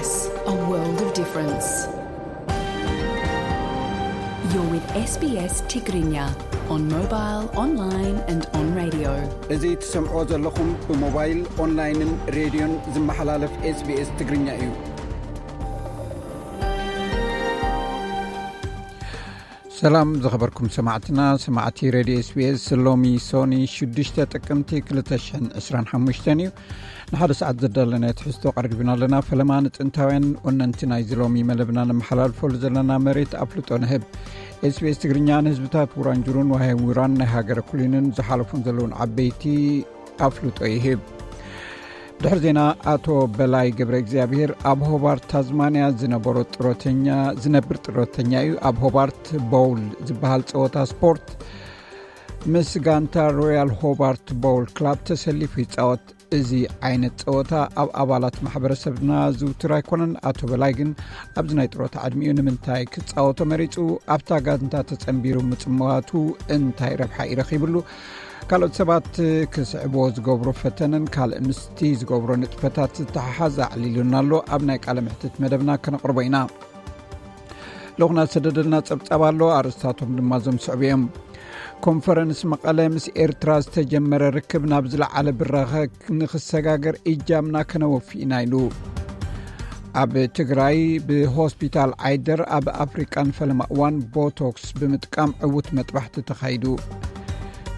A world of difference. You're with S B S Tigrinya on mobile, online and on radio. እዚ ትሰምዖ ዘለኹም ብሞባይል፣ ኦንላይንን ሬድዮን ዝመሓላለፍ ኤስ ቢ ኤስ ትግርኛ እዩ። ሰላም ዝኸበርኩም ሰማዕትና፣ ሰማዕቲ ሬድዮ ኤስ ቢ ኤስ፣ ሎሚ ሶኒ ሽዱሽተ ጥቅምቲ ክልተ ሽሕን ዕስራን ሓሙሽተን እዩ። ንሓደ ሰዓት ዘዳለናዮ ትሕዝቶ ቀሪብና ኣለና። ፈለማ ንጥንታውያን ወነንቲ ናይዚ ሎሚ መደብና ነመሓላልፈሉ ዘለና መሬት ኣፍልጦ ንህብ። ኤስ ቢ ኤስ ትግርኛ ንህዝብታት ውራንጁሩን ዋህውራን ናይ ሃገረ ኩሊንን ዝሓለፉን ዘለውን ዓበይቲ ኣፍልጦ ይህብ። ድሕሪ ዜና፣ ኣቶ በላይ ገብረ እግዚኣብሔር ኣብ ሆባርት ታዝማንያ ዝነበሮ ጥሮተኛ፣ ዝነብር ጥሮተኛ እዩ። ኣብ ሆባርት ቦውል ዝበሃል ጸወታ ስፖርት ምስ ጋንታ ሮያል ሆባርት ቦውል ክላብ ተሰሊፉ ይጻወት። እዚ ዓይነት ጸወታ ኣብ ኣባላት ማሕበረሰብና ዝውቱር ኣይኮነን። ኣቶ በላይ ግን ኣብዚ ናይ ጥሮታ ዕድሚኡ ንምንታይ ክጻወቶ መሪጹ? ኣብታ ጋንታ ተጸንቢሩ ምጽዋቱ እንታይ ረብሓ ይረኺብሉ? ካልኦት ሰባት ክስዕብዎ ዝገብሮ ፈተነን ካልእ ምስቲ ዝገብሮ ንጥፈታት ዝተሓሓዝ ኣዕሊሉና ኣሎ። ኣብ ናይ ቃለ መሕትት መደብና ከነቕርቦ ኢና። ልኡኽና ዝሰደደልና ጸብጻብ ኣሎ፣ ኣርእስታቶም ድማ እዞም ዝስዕቡ እዮም። ኮንፈረንስ መቐለ ምስ ኤርትራ ዝተጀመረ ርክብ ናብ ዝለዓለ ብራኸ ንኽሰጋገር እጃምና ከነወፊ ኢና ኢሉ። ኣብ ትግራይ ብሆስፒታል ዓይደር ኣብ ኣፍሪቃ ንፈለማ እዋን ቦቶክስ ብምጥቃም ዕዉት መጥባሕቲ ተኻይዱ።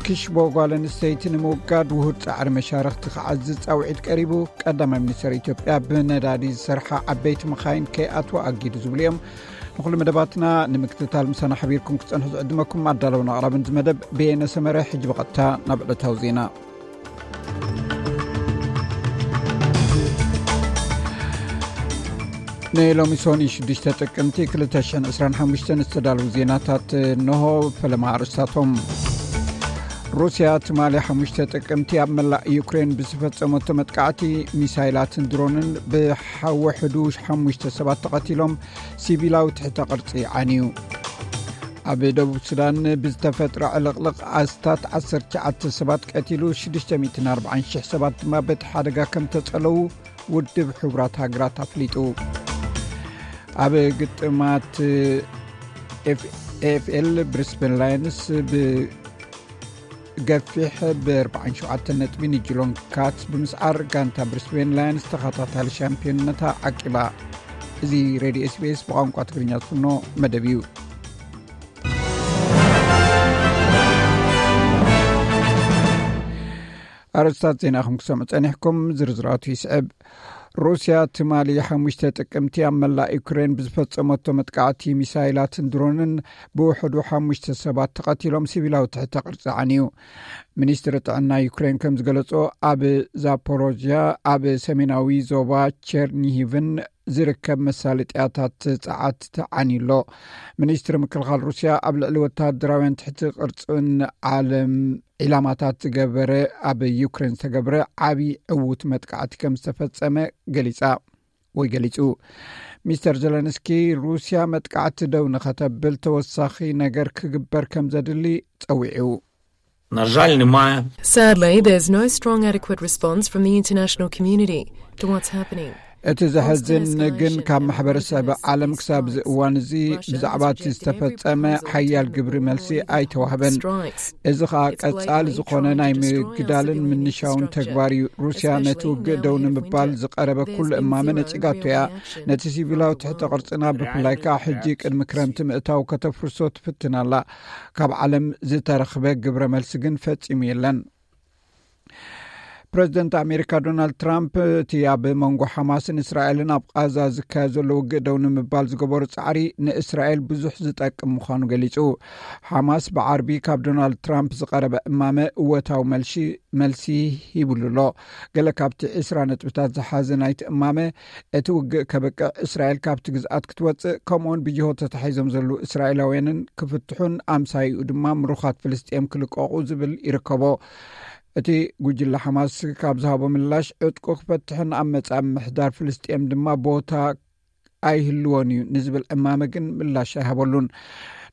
ክሽቦ ጓል ኣንስተይቲ ንምውጋድ ውሁድ ጻዕሪ መሻርኽቲ ክዓዝዝ ጻውዒት ቀሪቡ። ቀዳማይ ሚኒስተር ኢትዮጵያ ብነዳዲ ዝሰርሓ ዓበይቲ መኻይን ከይኣትዋ ኣጊዱ ዝብሉ እዮም። ንኹሉ መደባትና ንምክትታል ምሳና ሓቢርኩም ክትጸንሑ ዝዕድመኩም ኣዳለውን ኣቕራብን እዚ መደብ በየነ ሰመረ። ሕጂ ብቐጥታ ናብ ዕለታዊ ዜና። ንሎሚ ሶኒ ሽዱሽተ ጥቅምቲ ክልተ ሽሕን ዕስራን ሓሙሽተን ዝተዳለዉ ዜናታት እንሆ። ፈለማ ኣርእስታቶም። ሩስያ ትማሊ ሓሙሽተ ጥቅምቲ ኣብ መላእ ዩክሬን ብዝፈጸመቶ መጥቃዕቲ ሚሳይላትን ድሮንን ብሓወሕዱ ሓሙሽተ ሰባት ተቐቲሎም፣ ሲቪላዊ ትሕተ ቅርጺ ዓንዩ። ኣብ ደቡብ ሱዳን ብዝተፈጥረ ዕልቕልቕ ኣስታት ዓሰርተ ትሽዓተ ሰባት ቀቲሉ፣ ሽዱሽተ ሚእትን ኣርባዓን ሽሕ ሰባት ድማ በቲ ሓደጋ ከም ተጸለዉ ውድብ ሕቡራት ሃገራት ኣፍሊጡ። ኣብ ግጥማት ኤፍ-፣ ኤ ኤፍ ኤል ብሪስበን ላየንስ ብገፊሕ ብኣርባዓን ሸውዓተን ነጥቢ ንጅሎን ካትስ ብምስዓር ጋንታ ብሪስበን ላየንስ ተኸታታሊ ሻምፒዮንነታ ዓቂባ። እዚ ሬድዮ ኤስ ቢ ኤስ ብቋንቋ ትግርኛ ዝፍኖ መደብ እዩ። ኣርእስታት ዜና ኢኹም ክሰምዑ ጸኒሕኩም፣ ዝርዝራቱ ይስዕብ። ሩስያ ትማሊ ሓሙሽተ ጥቅምቲ ኣብ መላእ ዩክሬን ብዝፈጸመቶ መጥቃዕቲ ሚሳይላትን ድሮንን ብውሕዱ ሓሙሽተ ሰባት ተቐቲሎም፣ ሲቪላዊ ትሕተ ቅርጺ ዓንዩ። ሚኒስትሪ ጥዕና ዩክሬን ከም ዝገለጾ፣ ኣብ ዛፖሮዥያ፣ ኣብ ሰሜናዊ ዞባ ቸርኒሂቭን ዝርከብ መሳለጥያታት ጸዓት ተዓንዩ ኣሎ። ሚኒስትሪ ምክልኻል ሩስያ ኣብ ልዕሊ ወተሃደራውያን ትሕቲ ቅርጽን ዓለም ዒላማታት ዝገበረ፣ ኣብ ዩክሬን ዝተገብረ ዓቢ ዕዉት መጥቃዕቲ ከም ዝተፈጸመ ገሊጻ ወይ ገሊጹ። ሚስተር ዘለንስኪ ሩስያ መጥቃዕቲ ደው ንኸተብል ተወሳኺ ነገር ክግበር ከም ዘድሊ ጸዊዑ። На жаль, немає. Sadly, there's no strong adequate response from the international community to what's happening. እቲ ዘሕዝን ግን ካብ ማሕበረሰብ ዓለም ክሳብ እዚ እዋን እዚ ብዛዕባ እቲ ዝተፈጸመ ሓያል ግብሪ መልሲ ኣይተዋህበን። እዚ ኸኣ ቀጻሊ ዝኾነ ናይ ምግዳልን ምንሻውን ተግባር እዩ። ሩስያ ነቲ ውግእ ደው ንምባል ዝቐረበ ኩሉ እማመ ነጺጋቶ እያ። ነቲ ሲቪላዊ ትሕተ ቅርጽና ብፍላይ ከኣ ሕጂ ቅድሚ ክረምቲ ምእታው ከተፍርሶ ትፍትን ኣላ። ካብ ዓለም ዝተረኽበ ግብረ መልሲ ግን ፈጺሙ የለን። ፕረዚደንት ኣሜሪካ ዶናልድ ትራምፕ እቲ ኣብ መንጎ ሓማስን እስራኤልን ኣብ ቃዛ ዝካየድ ዘሎ ውግእ ደው ንምባል ዝገበሮ ጻዕሪ ንእስራኤል ብዙሕ ዝጠቅም ምዃኑ ገሊጹ። ሓማስ ብዓርቢ ካብ ዶናልድ ትራምፕ ዝቐረበ እማመ እወታዊ መልሺ፣ መልሲ ሂብሉ ኣሎ። ገለ ካብቲ ዕስራ ነጥብታት ዝሓዘ ናይቲ እማመ፣ እቲ ውግእ ከብቅዕ፣ እስራኤል ካብቲ ግዝኣት ክትወጽእ፣ ከምኡውን ብጅሆ ተታሒዞም ዘለዉ እስራኤላውያንን ክፍትሑን ኣምሳይኡ ድማ ምሩኻት ፍልስጤም ክልቀቑ ዝብል ይርከቦ። እቲ ጉጅለ ሓማስ ካብ ዝሃቦ ምላሽ፣ ዕጥቁ ክፈትሕን ኣብ መጻኢ ምምሕዳር ፍልስጤም ድማ ቦታ ኣይህልዎን እዩ ንዝብል ዕማመ ግን ምላሽ ኣይሃበሉን።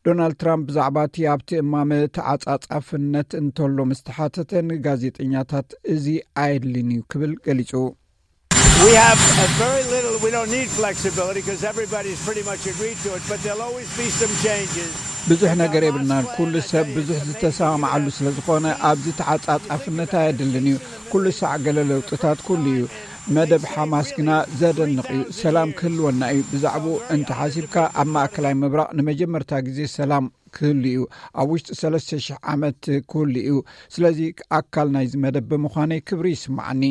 ዶናልድ ትራምፕ ብዛዕባ እቲ ኣብቲ እማመ ተዓጻጻፍነት እንተሎ ምስ ተሓተተ፣ ንጋዜጠኛታት እዚ ኣየድልን እዩ ክብል ገሊጹ። We have a very little, we don't need flexibility because everybody's pretty much agreed to it, but there'll always be some changes. ብዙሕ ነገር የብልናን። ኩሉ ሰብ ብዙሕ ዝተሰማማዓሉ ስለ ዝኾነ ኣብዚ ተዓጻጻፍነት ኣየድልን እዩ። ኩሉ ሳዕ ገለ ለውጥታት ኩሉ እዩ። መደብ ሓማስ ግና ዘደንቕ እዩ። ሰላም ክህልወና እዩ። ብዛዕባኡ እንተሓሲብካ ኣብ ማእከላይ ምብራቕ ንመጀመርታ ግዜ ሰላም ክህሉ እዩ። ኣብ ውሽጢ ሰለስተ ሽሕ ዓመት ክህሉ እዩ። ስለዚ ኣካል ናይዚ መደብ ብምዃነይ ክብሪ ይስምዓኒ።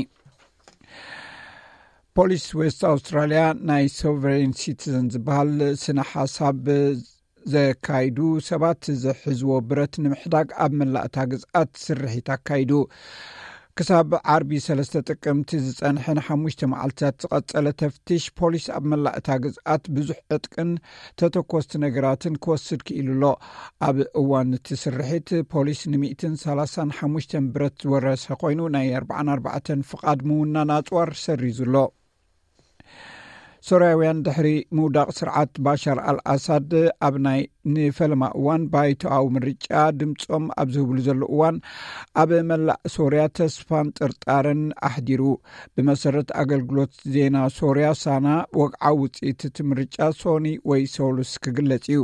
ፖሊስ ዌስት ኣውስትራልያ ናይ ሶቨሬን ሲቲዘን ዝበሃል ስነ ሓሳብ ዘካይዱ ሰባት ዝሕዝዎ ብረት ንምሕዳግ ኣብ መላእታ ግዝኣት ስርሒት ኣካይዱ። ክሳብ ዓርቢ ሰለስተ ጥቅምቲ ዝጸንሐ ንሓሙሽተ መዓልትታት ዝቐጸለ ተፍትሽ ፖሊስ ኣብ መላእታ ግዝኣት ብዙሕ ዕጥቅን ተተኮስቲ ነገራትን ክወስድ ክኢሉ ኣሎ። ኣብ እዋን እቲ ስርሒት ፖሊስ ን ሚእትን ሰላሳን ሓሙሽተን ብረት ዝወረሰ ኮይኑ ናይ ኣርባዓን ኣርባዕተን ፍቓድ ምውናን ኣጽዋር ሰሪዙ ኣሎ። ሶርያውያን ድሕሪ ምውዳቕ ስርዓት ባሻር ኣልኣሳድ ኣብ ናይ ንፈለማ እዋን ባይቶኣዊ ምርጫ ድምጾም ኣብ ዝህብሉ ዘሎ እዋን ኣብ መላእ ሶርያ ተስፋን ጥርጣረን ኣሕዲሩ። ብመሰረት ኣገልግሎት ዜና ሶርያ ሳና፣ ወግዓዊ ውጽኢት እቲ ምርጫ ሶኒ ወይ ሰሉስ ክግለጽ እዩ።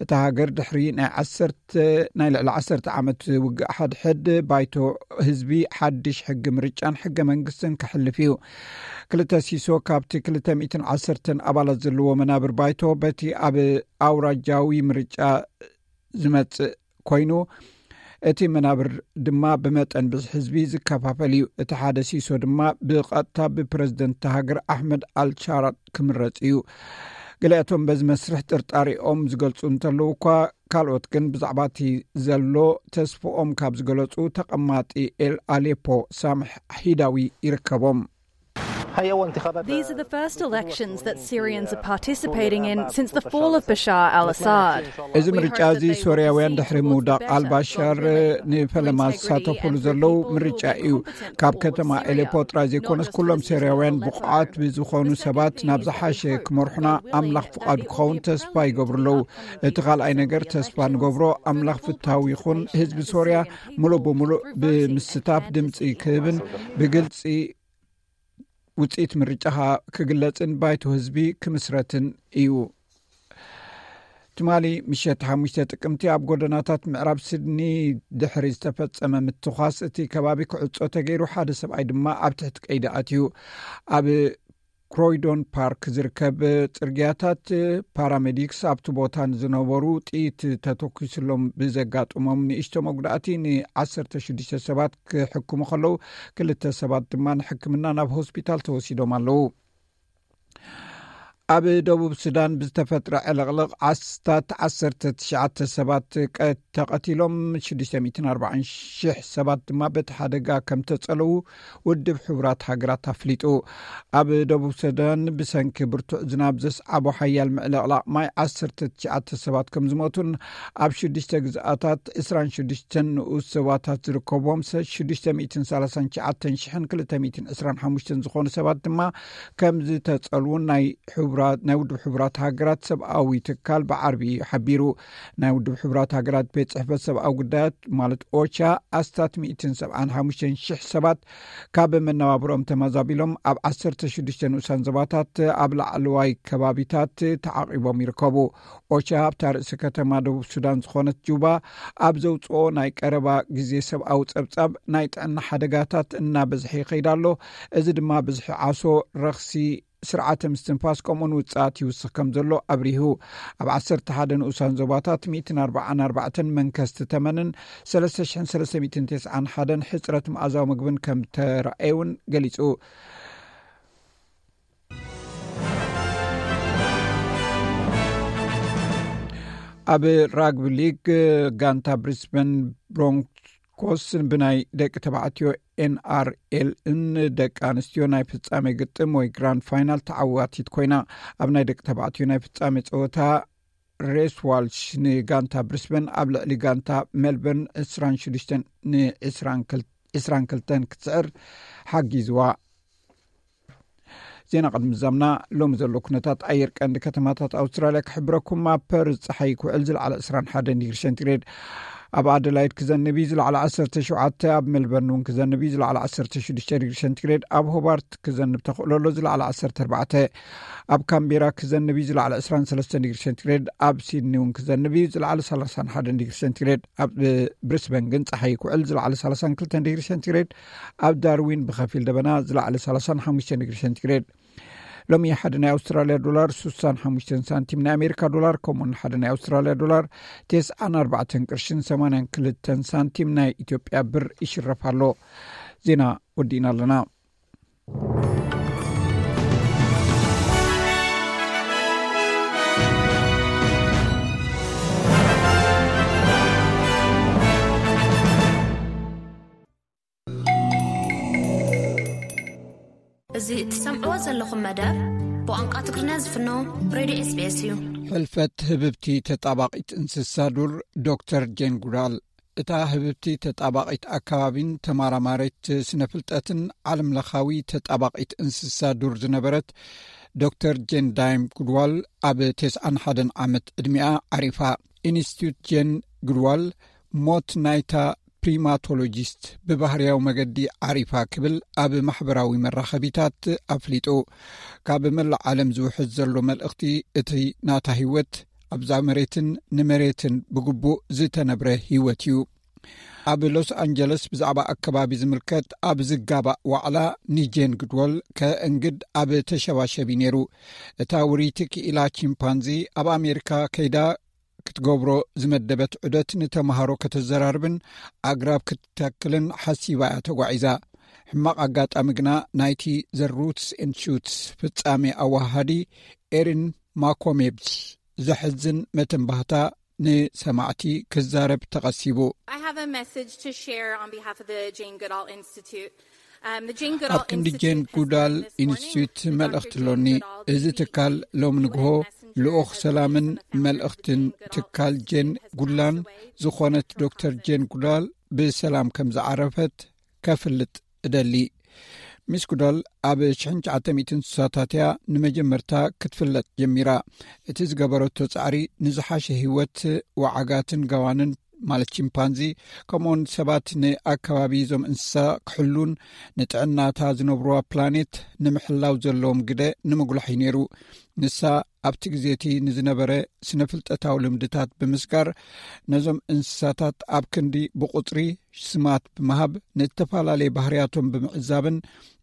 እታ ሃገር ድሕሪ ናይ ዓሰርተ ናይ ልዕሊ ዓሰርተ ዓመት ውግእ ሓድሕድ ባይቶ ህዝቢ ሓድሽ ሕጊ ምርጫን ሕገ መንግስትን ከሕልፍ እዩ። ክልተ ሲሶ ካብቲ ክልተ ሚእትን ዓሰርተን ኣባላት ዘለዎ መናብር ባይቶ በቲ ኣብ ኣውራጃዊ ምርጫ ዝመጽእ ኮይኑ፣ እቲ መናብር ድማ ብመጠን ብዝሒ ህዝቢ ዝከፋፈል እዩ። እቲ ሓደ ሲሶ ድማ ብቐጥታ ብፕረዚደንት እታ ሃገር ኣሕመድ ኣልሻራ ክምረጽ እዩ። ገሊኣቶም በዚ መስርሕ ጥርጣሬኦም ዝገልጹ እንተለዉ እኳ፣ ካልኦት ግን ብዛዕባ እቲ ዘሎ ተስፍኦም ካብ ዝገለጹ ተቐማጢ ኤል ኣሌፖ ሳምሕ ሒዳዊ ይርከቦም። These are the first elections that Syrians are participating in since the fall of Bashar al Assad. እዚ ምርጫ እዚ ሶርያውያን ድሕሪ ምውዳቕ ኣልባሻር ንፈለማ ዝሳተፉሉ ዘለዉ ምርጫ እዩ። ካብ ከተማ ኤሌፖ ጥራይ ዘይኮነስ ኩሎም ሶርያውያን ብቑዓት ብዝኾኑ ሰባት ናብ ዝሓሸ ክመርሑና ኣምላኽ ፍቓዱ ክኸውን ተስፋ ይገብሩ ኣለዉ። እቲ ካልኣይ ነገር ተስፋ ንገብሮ ኣምላኽ ፍታው ይኹን ህዝቢ ሶርያ ሙሉእ ብሙሉእ ብምስታፍ ድምፂ ክህብን ብግልፂ ውፅኢት ምርጫ ክግለፅን ባይቶ ህዝቢ ክምስረትን እዩ። ትማሊ ምሸት ሓሙሽተ ጥቅምቲ ኣብ ጎደናታት ምዕራብ ስድኒ ድሕሪ ዝተፈጸመ ምትኳስ እቲ ከባቢ ክዕጾ ተገይሩ፣ ሓደ ሰብኣይ ድማ ኣብ ትሕቲ ቀይዲ ኣትዩ። ኣብ ክሮይዶን ፓርክ ዝርከብ ጽርግያታት ፓራሜዲክስ ኣብቲ ቦታ ንዝነበሩ ጥይት ተተኩስሎም ብዘጋጠሞም ንእሽቶ መጉዳእቲ ን ዓሰርተ ሽዱሽተ ሰባት ክሕክሙ ከለዉ፣ ክልተ ሰባት ድማ ንሕክምና ናብ ሆስፒታል ተወሲዶም ኣለዉ። ኣብ ደቡብ ሱዳን ብዝተፈጥረ ዕልቕልቕ ኣስታት ዓሰርተ ትሽዓተ ሰባት ተቐቲሎም፣ ሽዱሽተ ሚእትን ኣርባዓን ሽሕ ሰባት ድማ በቲ ሓደጋ ከም ተጸለዉ ውድብ ሕቡራት ሃገራት ኣፍሊጡ። ኣብ ደቡብ ሱዳን ብሰንኪ ብርቱዕ ዝናብ ዘስዓቦ ሓያል ምዕልቕላቕ ማይ ዓሰርተ ትሽዓተ ሰባት ከም ዝሞቱን ኣብ ሽዱሽተ ግዝኣታት ዕስራን ሽዱሽተን ንኡስ ዞባታት ዝርከብዎም ሽዱሽተ ሚእትን ሰላሳን ትሽዓተን ሽሕን ክልተ ሚእትን ዕስራን ሓሙሽተን ዝኾኑ ሰባት ድማ ከም ዝተጸልዉን ናይ ናይ ውድብ ሕቡራት ሃገራት ሰብኣዊ ትካል ብዓርቢ እዩ ሓቢሩ። ናይ ውድብ ሕቡራት ሃገራት ቤት ጽሕፈት ሰብኣዊ ጉዳያት ማለት ኦቻ ኣስታት ሚእትን ሰብዓን ሓሙሽተን ሽሕ ሰባት ካብ መነባብሮም ተመዛቢሎም ኣብ ዓሰርተ ሽዱሽተ ንኡሳን ዞባታት ኣብ ላዕለዋይ ከባቢታት ተዓቒቦም ይርከቡ። ኦቻ ኣብታ ርእሲ ከተማ ደቡብ ሱዳን ዝኾነት ጁባ ኣብ ዘውፅኦ ናይ ቀረባ ግዜ ሰብኣዊ ጸብጻብ፣ ናይ ጥዕና ሓደጋታት እናበዝሐ ይኸይድ ኣሎ። እዚ ድማ ብዝሒ ዓሶ፣ ረኽሲ ስርዓተ ምስትንፋስ ከምኡውን ውፅኣት ይውስኽ ከም ዘሎ ኣብሪሁ። ኣብ ዓሰርተ ሓደ ንኡሳን ዞባታት ሚእትን ኣርባዓን ኣርባዕተን መንከስቲ ተመንን ሰለስተ ሽሕን ሰለስተ ሚእትን ተስዓን ሓደን ሕፅረት መኣዛዊ ምግብን ከም ተራእየ እውን ገሊፁ። ኣብ ራግቢ ሊግ ጋንታ ብሪስበን ብሮንኮስ ብናይ ደቂ ተባዕትዮ ኤንኣርኤልን ደቂ ኣንስትዮ ናይ ፍጻሜ ግጥም ወይ ግራንድ ፋይናል ተዓዋቲት ኮይና። ኣብ ናይ ደቂ ተባዕትዮ ናይ ፍጻሜ ጸወታ ሬስ ዋልሽ ንጋንታ ብሪስበን ኣብ ልዕሊ ጋንታ ሜልበርን ዕስራን ሽዱሽተን ን ዕስራን ክልተን ክትስዕር ሓጊዝዋ። ዜና ቅድሚ ዛምና ሎሚ ዘሎ ኩነታት ኣየር ቀንዲ ከተማታት ኣውስትራልያ ክሕብረኩም። ኣብ ፐርዝ ጸሓይ ክውዕል ዝለዓለ ዕስራን ሓደን ዲግሪ ሴንቲግሬድ፣ ኣብ ኣደላይድ ክዘንብ እዩ፣ ዝለዓለ ዓሰርተ ሸውዓተ። ኣብ ሜልበርን እውን ክዘንብ እዩ፣ ዝለዓለ ዓሰርተ ሽዱሽተ ዲግሪ ሴንቲግሬድ። ኣብ ሆባርት ክዘንብ ተኽእሎ ኣሎ፣ ዝለዓለ ዓሰርተ ኣርባዕተ። ኣብ ካምቤራ ክዘንብ እዩ፣ ዝለዓለ ዕስራን ሰለስተን ዲግሪ ሴንቲግሬድ። ኣብ ሲድኒ እውን ክዘንብ እዩ፣ ዝለዓለ ሰላሳን ሓደን ዲግሪ ሴንቲግሬድ። ኣብ ብሪስበን ግን ጸሓይ ክውዕል፣ ዝለዓለ ሰላሳን ክልተን ዲግሪ ሴንቲግሬድ። ኣብ ዳርዊን ብኸፊል ደበና፣ ዝለዓለ ሰላሳን ሓሙሽተን ዲግሪ ሴንቲግሬድ። ሎሚ ሓደ ናይ ኣውስትራልያ ዶላር ስሳን ሓሙሽተን ሳንቲም፣ ናይ ኣሜሪካ ዶላር ከምኡውን ሓደ ናይ ኣውስትራልያ ዶላር ተስዓን ኣርባዕተን ቅርሽን ሰማንያን ክልተን ሳንቲም ናይ ኢትዮጵያ ብር ይሽረፍ ኣሎ። ዜና ወዲእና ኣለና። እዚ እትሰምዕዎ ዘለኹም መደብ ብቋንቋ ትግርኛ ዝፍኖ ሬድዮ ኤስቢኤስ እዩ። ሕልፈት ህብብቲ ተጣባቒት እንስሳ ዱር ዶክተር ጄን ጉዳል። እታ ህብብቲ ተጣባቒት ኣከባቢን ተመራማሪት ስነ ፍልጠትን ዓለም ለኻዊ ተጣባቒት እንስሳ ዱር ዝነበረት ዶክተር ጄን ዳይም ጉድዋል ኣብ ተስዓን ሓደን ዓመት ዕድሚኣ ዓሪፋ። ኢንስቲትዩት ጄን ጉድዋል ሞት ናይታ ፕሪማቶሎጂስት ብባህርያዊ መገዲ ዓሪፋ ክብል ኣብ ማሕበራዊ መራኸቢታት ኣፍሊጡ። ካብ መላእ ዓለም ዝውሕዝ ዘሎ መልእኽቲ እቲ ናታ ህይወት ኣብዛ መሬትን ንመሬትን ብግቡእ ዝተነብረ ህይወት እዩ። ኣብ ሎስ ኣንጀለስ ብዛዕባ ኣከባቢ ዝምልከት ኣብ ዝጋባእ ዋዕላ ንጄን ግድወል ከእንግድ ኣብ ተሸባሸቢ ነይሩ። እታ ውርይቲ ክኢላ ቺምፓንዚ ኣብ ኣሜሪካ ከይዳ ክትገብሮ ዝመደበት ዑደት ንተምሃሮ ከተዘራርብን ኣግራብ ክትተክልን ሓሲባ እያ ተጓዒዛ። ሕማቕ ኣጋጣሚ ግና ናይቲ ዘ ሩትስ ኤንድ ሹትስ ፍጻሜ ኣወሃሃዲ ኤሪን ማኮሜብስ ዘሕዝን መተንባህታ ንሰማዕቲ ክዛረብ ተቐሲቡ። I have a message to share on behalf of the Jane Goodall Institute. Um, the Jane Goodall ኣብ ክንዲ Institute ጄን has ጉዳል written this morning ኢንስቲትዩት the መልእኽቲ Doctor ኣሎኒ። Jane Goodall እዚ ትካል ሎሚ ንግሆ ልኡኽ ሰላምን መልእኽትን ትካል ጄን ጉላን ዝኾነት ዶክተር ጄን ጉዳል ብሰላም ከም ዝዓረፈት ከፍልጥ እደሊ። ሚስ ጉዳል ኣብ ሽሕን ትሽዓተ ሚእትን ስሳታት እያ ንመጀመርታ ክትፍለጥ ጀሚራ። እቲ ዝገበረቶ ጻዕሪ ንዝሓሸ ህይወት ወዓጋትን ጋዋንን ማለት ቺምፓንዚ፣ ከምኡውን ሰባት ንኣከባቢ እዞም እንስሳ ክሕሉን ንጥዕናታ ዝነብሩዋ ፕላኔት ንምሕላው ዘለዎም ግደ ንምጉላሕ እዩ ነይሩ። ንሳ ኣብቲ ግዜ እቲ ንዝነበረ ስነ ፍልጠታዊ ልምድታት ብምስጋር ነዞም እንስሳታት ኣብ ክንዲ ብቑጽሪ ስማት ብምሃብ ንእተፈላለየ ባህርያቶም ብምዕዛብን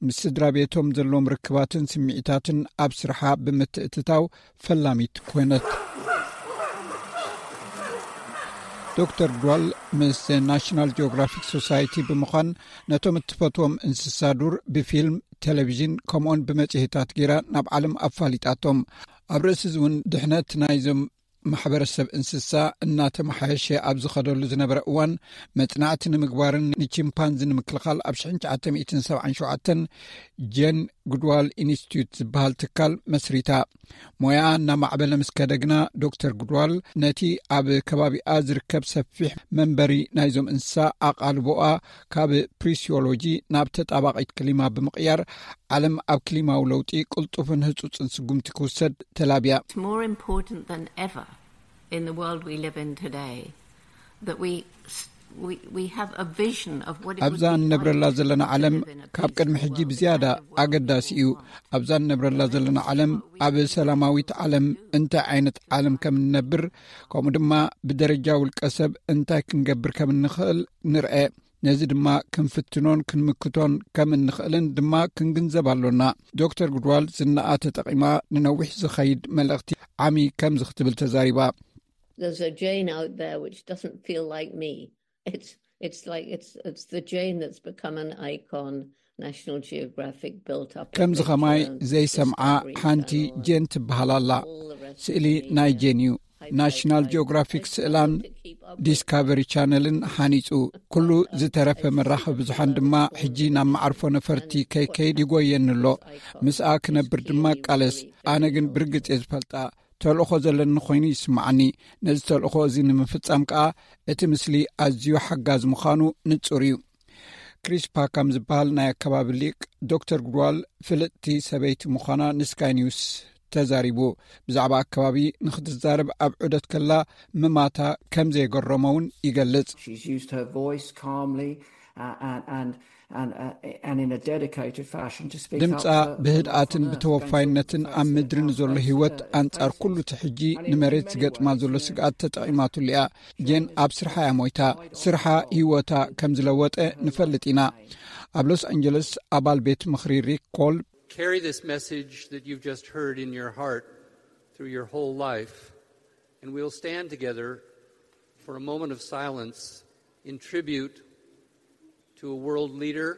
ምስ ስድራ ቤቶም ዘለዎም ርክባትን ስምዒታትን ኣብ ስርሓ ብምትእትታው ፈላሚት ኮይነት። ዶክተር ጓል ምስ ናሽናል ጂኦግራፊክ ሶሳይቲ ብምዃን ነቶም እትፈትዎም እንስሳ ዱር ብፊልም፣ ቴሌቪዥን ከምኡውን ብመጽሔታት ገይራ ናብ ዓለም ኣፋሊጣቶም። ኣብ ርእሲ እዚ እውን ድሕነት ናይዞም ማሕበረሰብ እንስሳ እናተመሓየሸ ኣብ ዝኸደሉ ዝነበረ እዋን መጽናዕቲ ንምግባርን ንቺምፓንዚ ንምክልኻል ኣብ ሽሕን ትሽዓተ ሚእትን ሰብዓን ሸውዓተን ጄን ጉድዋል ኢንስቲትዩት ዝበሃል ትካል መስሪታ። ሞያኣ እናማዕበለ ምስ ከደ ግና ዶክተር ጉድዋል ነቲ ኣብ ከባቢኣ ዝርከብ ሰፊሕ መንበሪ ናይዞም እንስሳ ኣቓልቦኣ ካብ ፕሪሲዮሎጂ ናብ ተጣባቒት ክሊማ ብምቕያር ዓለም ኣብ ክሊማዊ ለውጢ ቅልጡፍን ህጹጽን ስጉምቲ ክውሰድ ተላብያ። It's more important than ever in the world we live in today that we we we have a vision of what it would ኣብዛ be እንነብረላ like ዘለና ዓለም to live in a ካብ ቅድሚ ሕጂ ብዝያዳ ኣገዳሲ እዩ። ኣብዛ እንነብረላ ዘለና ዓለም ኣብ ሰላማዊት ዓለም እንታይ ዓይነት ዓለም ከም እንነብር ከምኡ ድማ ብደረጃ ውልቀ ሰብ እንታይ ክንገብር ከም እንኽእል ንርአ። ነዚ ድማ ክንፍትኖን ክንምክቶን ከም እንኽእልን ድማ ክንግንዘብ ኣሎና። ዶክተር ጉድዋል ዝናኣ ተጠቒማ ንነዊሕ ዝኸይድ መልእኽቲ ዓሚ ከምዚ ክትብል ተዛሪባ። There's a Jane out there which doesn't feel like me. It's it's like it's it's the Jane that's become an icon. National Geographic built up ከምዚ ከማይ ዘይሰምዓ ሓንቲ ጄን ትበሃል ኣላ። ስእሊ ናይ ጄን እዩ። ናሽናል ጂኦግራፊክ ስእላን ዲስካቨሪ ቻነልን ሓኒጹ። ኩሉ ዝተረፈ መራኸቢ ብዙሓን ድማ ሕጂ ናብ መዓርፎ ነፈርቲ ከይከይድ ይጎየኒ ኣሎ። ምስኣ ክነብር ድማ እቃለስ። ኣነ ግን ብርግጽ እየ ዝፈልጣ። ተልእኾ ዘለኒ ኮይኑ ይስምዓኒ። ነዚ ተልእኾ እዚ ንምፍጻም ከኣ እቲ ምስሊ ኣዝዩ ሓጋዚ ምዃኑ ንጹር እዩ። ክሪስ ፓካም ዝበሃል ናይ ኣከባቢ ሊቅ ዶክተር ጉድዋል ፍልጥቲ ሰበይቲ ምዃና ንስካይ ኒውስ ተዛሪቡ። ብዛዕባ ኣከባቢ ንክትዛረብ ኣብ ዑደት ከላ ምማታ ከም ዘይገረሞ እውን ይገልጽ። She's used her voice calmly uh, and, and, and, uh, and in a dedicated fashion to speak up ድምጻ for- ብህድኣትን for- ብተወፋይነትን ኣብ ምድሪ ንዘሎ ህይወት፣ ኣንጻር ኩሉ እቲ ሕጂ ንመሬት ዝገጥማ ዘሎ ስግኣት ተጠቒማትሉ እያ። ጀን ኣብ ስርሓ እያ ሞይታ። ስርሓ ህይወታ ከም ዝለወጠ ንፈልጥ ኢና። ኣብ ሎስ ኣንጀለስ ኣባል ቤት ምኽሪ ሪክ ኮል Carry this message that you've just heard in your heart through your whole life, and we'll stand together for a moment of silence in tribute to a world leader,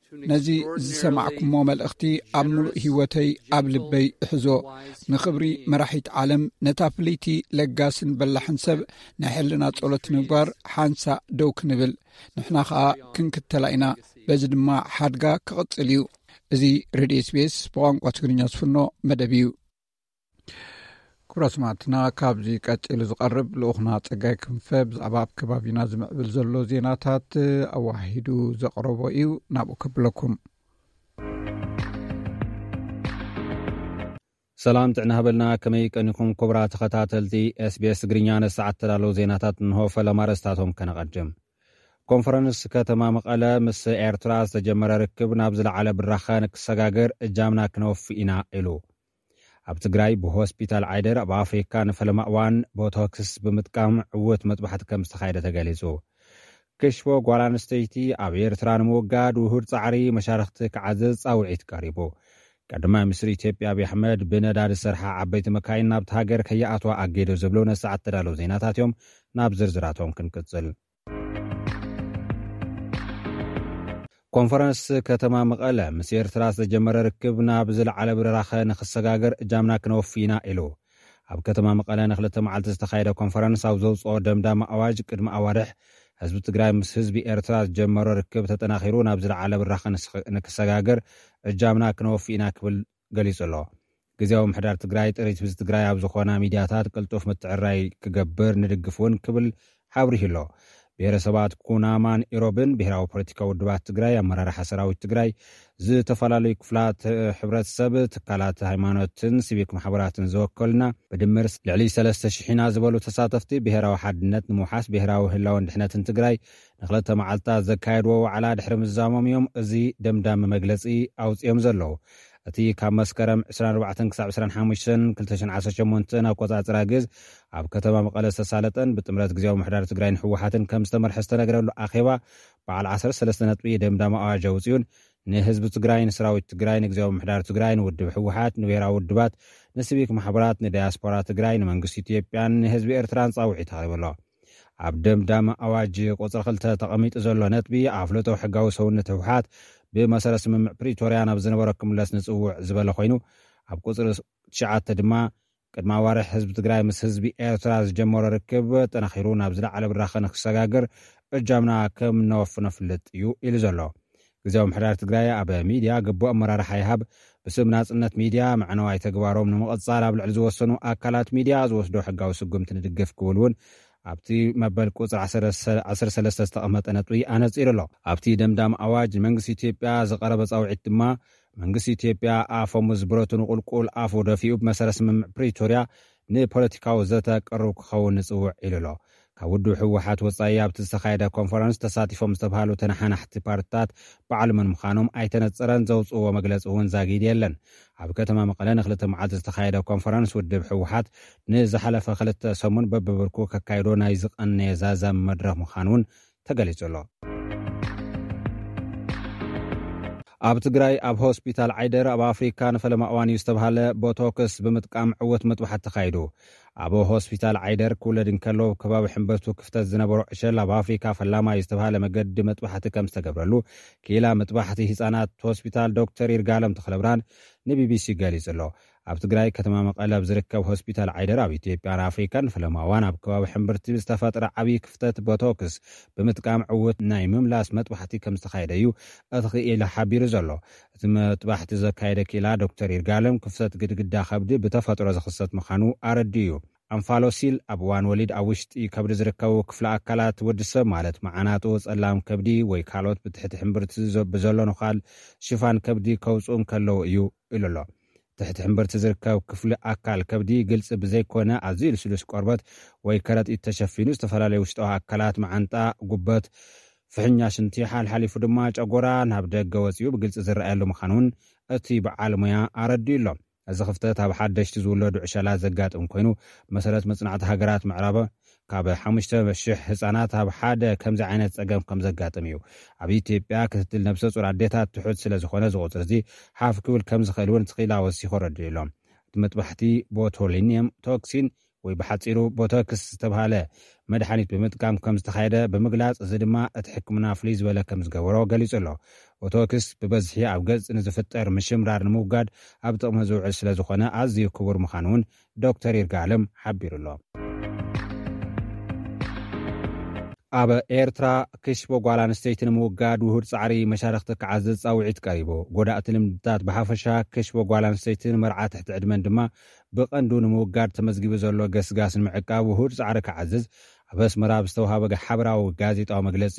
to an ነዚ extraordinarily ዝሰማዕኩሞ መልእኽቲ ኣብ ምሉእ ህይወተይ ኣብ ልበይ እሕዞ። ንኽብሪ መራሒት ዓለም፣ ነታ ፍልይቲ ለጋስን በላሕን ሰብ ናይ ሕልና ጸሎት ምግባር ሓንሳእ ደው ክንብል፣ ንሕና ኸኣ ክንክተላ ኢና። በዚ ድማ ሓድጋ ክቕጽል እዩ። እዚ ሬድዮ ኤስቢኤስ ብቋንቋ ትግርኛ ዝፍኖ መደብ እዩ። ክቡራት ሰማዕትና፣ ካብዚ ቀጺሉ ዝቐርብ ልኡኽና ጸጋይ ክንፈ ብዛዕባ ኣብ ከባቢና ዝምዕብል ዘሎ ዜናታት ኣዋሂዱ ዘቕረቦ እዩ። ናብኡ ከብለኩም። ሰላም ጥዕና ሃበልና። ከመይ ቀኒኹም ክቡራት ተኸታተልቲ ኤስቢኤስ ትግርኛ? ነሰዓት ተዳለዉ ዜናታት እንሆ። ፈለማ ርእስታቶም ከነቐድም። ኮንፈረንስ ከተማ መቐለ ምስ ኤርትራ ዝተጀመረ ርክብ ናብ ዝለዓለ ብራኸ ንክሰጋገር እጃምና ክነወፊ ኢና ኢሉ። ኣብ ትግራይ ብሆስፒታል ዓይደር ኣብ ኣፍሪካ ንፈለማ እዋን ቦቶክስ ብምጥቃም ዕውት መጥባሕቲ ከም ዝተኻየደ ተገሊጹ። ክሽፎ ጓል ኣንስተይቲ ኣብ ኤርትራ ንምውጋድ ውሁድ ጻዕሪ መሻርኽቲ ክዓዝዝ ጻውዒት ቀሪቡ። ቀዳማይ ሚኒስትር ኢትዮጵያ ኣብይ ኣሕመድ ብነዳዲ ዝሰርሓ ዓበይቲ መካይን ናብቲ ሃገር ከይኣትዋ ኣገይዶ ዝብሉ ነሰዓት ተዳለዉ ዜናታት እዮም። ናብ ዝርዝራቶም ክንቅጽል። ኮንፈረንስ ከተማ መቐለ ምስ ኤርትራ ዝተጀመረ ርክብ ናብ ዝለዓለ ብራኸ ንክሰጋገር እጃምና ክነወፊ ኢና ኢሉ። ኣብ ከተማ መቐለ ንክልተ መዓልቲ ዝተኻየደ ኮንፈረንስ ኣብ ዘውፅኦ ደምዳሚ ኣዋጅ፣ ቅድሚ ኣዋርሕ ህዝቢ ትግራይ ምስ ህዝቢ ኤርትራ ዝጀመሮ ርክብ ተጠናኺሩ ናብ ዝለዓለ ብራኸ ንክሰጋገር እጃምና ክነወፊ ኢና ክብል ገሊጹ ኣሎ። ግዜያዊ ምሕዳር ትግራይ ጥሪት ህዝቢ ትግራይ ኣብ ዝኾና ሚድያታት ቅልጡፍ ምትዕራይ ክገብር ንድግፍ እውን ክብል ኣብሪሁ ኣሎ። ብሄረሰባት ኩናማን ኢሮብን፣ ብሄራዊ ፖለቲካዊ ውድባት ትግራይ፣ ኣመራርሓ ሰራዊት ትግራይ፣ ዝተፈላለዩ ክፍላት ሕብረተሰብ፣ ትካላት ሃይማኖትን ሲቪክ ማሕበራትን ዝወከሉና ብድምር ልዕሊ ሰለስተ ሽሕ ኢና ዝበሉ ተሳተፍቲ፣ ብሄራዊ ሓድነት ንምውሓስ ብሄራዊ ህላወን ድሕነትን ትግራይ ንክልተ መዓልታት ዘካየድዎ ዋዕላ ድሕሪ ምዝዛሞም እዮም እዚ ደምዳሚ መግለፂ ኣውፅኦም ዘለዉ። እቲ ካብ መስከረም ዕስራን ኣርባዕተን ክሳብ ዕስራን ሓሙሽተን ክልተ ሽሕን ዓሰርተ ሸሞንተን ኣቆፃፅራ ግዝ ኣብ ከተማ መቐለ ዝተሳለጠን ብጥምረት ግዜያዊ ምሕዳር ትግራይን ህወሓትን ከም ዝተመርሐ ዝተነገረሉ ኣኼባ፣ በዓል ዓሰርተ ሰለስተ ነጥቢ ደምዳሚ ኣዋጅ ኣውፅኡን ንህዝቢ ትግራይ፣ ንሰራዊት ትግራይ፣ ንግዜያዊ ምሕዳር ትግራይ፣ ንውድብ ህወሓት፣ ንብሄራዊ ውድባት፣ ንሲቪክ ማሕበራት፣ ንዳያስፖራ ትግራይ፣ ንመንግስቲ ኢትዮጵያን ንህዝቢ ኤርትራን ጻውዒት ኣቕሪቡ ኣሎ። ኣብ ደምዳሚ ኣዋጅ ቁጽሪ ክልተ ተቐሚጡ ዘሎ ነጥቢ፣ ኣፍልጦ ሕጋዊ ሰውነት ህወሓት ብመሰረት ስምምዕ ፕሪቶርያ ናብ ዝነበሮ ክምለስ ንጽውዕ ዝበለ ኮይኑ፣ ኣብ ቁጽሪ ትሽዓተ ድማ፣ ቅድሚ ኣዋርሕ ህዝቢ ትግራይ ምስ ህዝቢ ኤርትራ ዝጀመሮ ርክብ ጠናኺሩ ናብ ዝለዓለ ብራኸ ንክሰጋገር እጃምና ከም እነወፍኖ ፍልጥ እዩ ኢሉ ዘሎ። ግዜያዊ ምሕዳር ትግራይ ኣብ ሚድያ ግቡእ ኣመራርሓ ይሃብ፣ ብስም ናጽነት ሚድያ መዕነዋይ ተግባሮም ንምቕጻል ኣብ ልዕሊ ዝወሰኑ ኣካላት ሚድያ ዝወስዶ ሕጋዊ ስጉምቲ ንድግፍ ክብል እውን ኣብቲ መበል ቁጽሪ ዓሰርተ ሰለስተ ዝተቐመጠ ነጥቢ ኣነጺሩ ኣሎ። ኣብቲ ደምዳሚ ኣዋጅ ንመንግስቲ ኢትዮጵያ ዝቐረበ ጻውዒት ድማ፣ መንግስቲ ኢትዮጵያ ኣፈሙዝ ብረቱ ንቁልቁል ኣፉ ደፊኡ ብመሰረት ስምምዕ ፕሪቶርያ ንፖለቲካዊ ዘተ ቅሩብ ክኸውን ንጽውዕ ኢሉ ኣሎ። ካብ ውድብ ህወሓት ወጻኢ ኣብቲ ዝተኻየደ ኮንፈረንስ ተሳቲፎም ዝተባሃሉ ተነሓናሕቲ ፓርትታት ባዕሉ መን ምዃኖም ኣይተነጸረን፣ ዘውጽእዎ መግለጺ እውን ዛጊድ የለን። ኣብ ከተማ መቐለ ንክልተ መዓልቲ ዝተኻየደ ኮንፈረንስ ውድብ ህወሓት ንዝሓለፈ ክልተ ሰሙን በብብርኩ ከካይዶ ናይ ዝቐነየ ዛዛሚ መድረኽ ምዃኑ እውን ተገሊጹ ኣሎ። ኣብ ትግራይ ኣብ ሆስፒታል ዓይደር ኣብ ኣፍሪካ ንፈለማ እዋን እዩ ዝተባሃለ ቦቶክስ ብምጥቃም ዕውት መጥባሕቲ ተኻይዱ። ኣብ ሆስፒታል ዓይደር ክውለድ እንከሎ ከባቢ ሕምበርቱ ክፍተት ዝነበሮ ዕሸል ኣብ ኣፍሪካ ፈላማይ ዝተባሃለ መገዲ መጥባሕቲ ከም ዝተገብረሉ ክኢላ መጥባሕቲ ህፃናት ሆስፒታል ዶክተር ይርጋለም ተኽለብርሃን ንቢቢሲ ገሊጹ ኣሎ። ኣብ ትግራይ ከተማ መቐለ ኣብ ዝርከብ ሆስፒታል ዓይደር ኣብ ኢትዮጵያን ኣፍሪካን ንፈለማ እዋን ኣብ ከባቢ ሕምብርቲ ዝተፈጥረ ዓብዪ ክፍተት ቦቶክስ ብምጥቃም ዕውት ናይ ምምላስ መጥባሕቲ ከም ዝተኻየደ እዩ እቲ ክኢላ ሓቢሩ ዘሎ። እቲ መጥባሕቲ ዘካየደ ክኢላ ዶክተር ይርጋለም ክፍተት ግድግዳ ከብዲ ብተፈጥሮ ዝኽሰት ምዃኑ ኣረዲኡ እዩ። ኣንፋሎሲል ኣብ እዋን ወሊድ ኣብ ውሽጢ ከብዲ ዝርከቡ ክፍለ ኣካላት ወዲ ሰብ ማለት መዓናጡ፣ ጸላም ከብዲ ወይ ካልኦት ብትሕቲ ሕምብርቲ ብዘሎ ነዃል ሽፋን ከብዲ ከውፅኡ እንከለዉ እዩ ኢሉ ኣሎ። ትሕቲ ሕምብርቲ ዝርከብ ክፍሊ ኣካል ከብዲ ግልፂ ብዘይኮነ ኣዝዩ ልስሉስ ቆርበት ወይ ከረጢት ተሸፊኑ ዝተፈላለዩ ውሽጣዊ ኣካላት፣ መዓንጣ፣ ጉበት፣ ፍሕኛ ሽንቲ፣ ሓልሓሊፉ ድማ ጨጎራ ናብ ደገ ወፂኡ ብግልፂ ዝረኣየሉ ምዃኑ እውን እቲ በዓል ሞያ ኣረዲኡ ኣሎ። እዚ ክፍተት ኣብ ሓደሽቲ ዝውለዱ ዕሸላት ዘጋጥም ኮይኑ፣ መሰረት መጽናዕቲ ሃገራት ምዕራብ ካብ ሓሙሽተ ሽሕ ህጻናት ኣብ ሓደ ከምዚ ዓይነት ጸገም ከም ዘጋጥም እዩ። ኣብ ኢትዮጵያ ክትትል ነብሰ ጹር ኣዴታት ትሑት ስለ ዝኾነ፣ እዚ ቁጽሪ እዚ ሓፍ ክብል ከም ዝኽእል እውን ትኺላ ወሲኹ ኣረዲኡ ኣሎ። እቲ መጥባሕቲ ቦቶሊኒየም ቶክሲን ወይ ብሓጺሩ ቦቶክስ ዝተባህለ መድሓኒት ብምጥቃም ከም ዝተኻየደ ብምግላጽ፣ እዚ ድማ እቲ ሕክምና ፍልይ ዝበለ ከም ዝገበሮ ገሊጹ ኣሎ። ቦቶክስ ብበዝሒ ኣብ ገጽ ንዝፍጠር ምሽምራር ንምውጋድ ኣብ ጥቕሚ ዝውዕል ስለ ዝኾነ ኣዝዩ ክቡር ምዃኑ እውን ዶክተር ይርጋለም ሓቢሩ ኣሎ። ኣብ ኤርትራ ክሽቦ ጓል ኣንስተይቲ ንምውጋድ ውሁድ ጻዕሪ መሻርኽቲ ክዓዝዝ ጻውዒት ቀሪቡ። ጎዳእቲ ልምድታት ብሓፈሻ ክሽቦ ጓል ኣንስተይትን መርዓ ትሕቲ ዕድመን ድማ ብቐንዱ ንምውጋድ ተመዝጊቡ ዘሎ ገስጋስ ንምዕቃብ ውሁድ ጻዕሪ ክዓዝዝ ኣብ ኣስመራ ኣብ ዝተውሃበ ሓበራዊ ጋዜጣዊ መግለጺ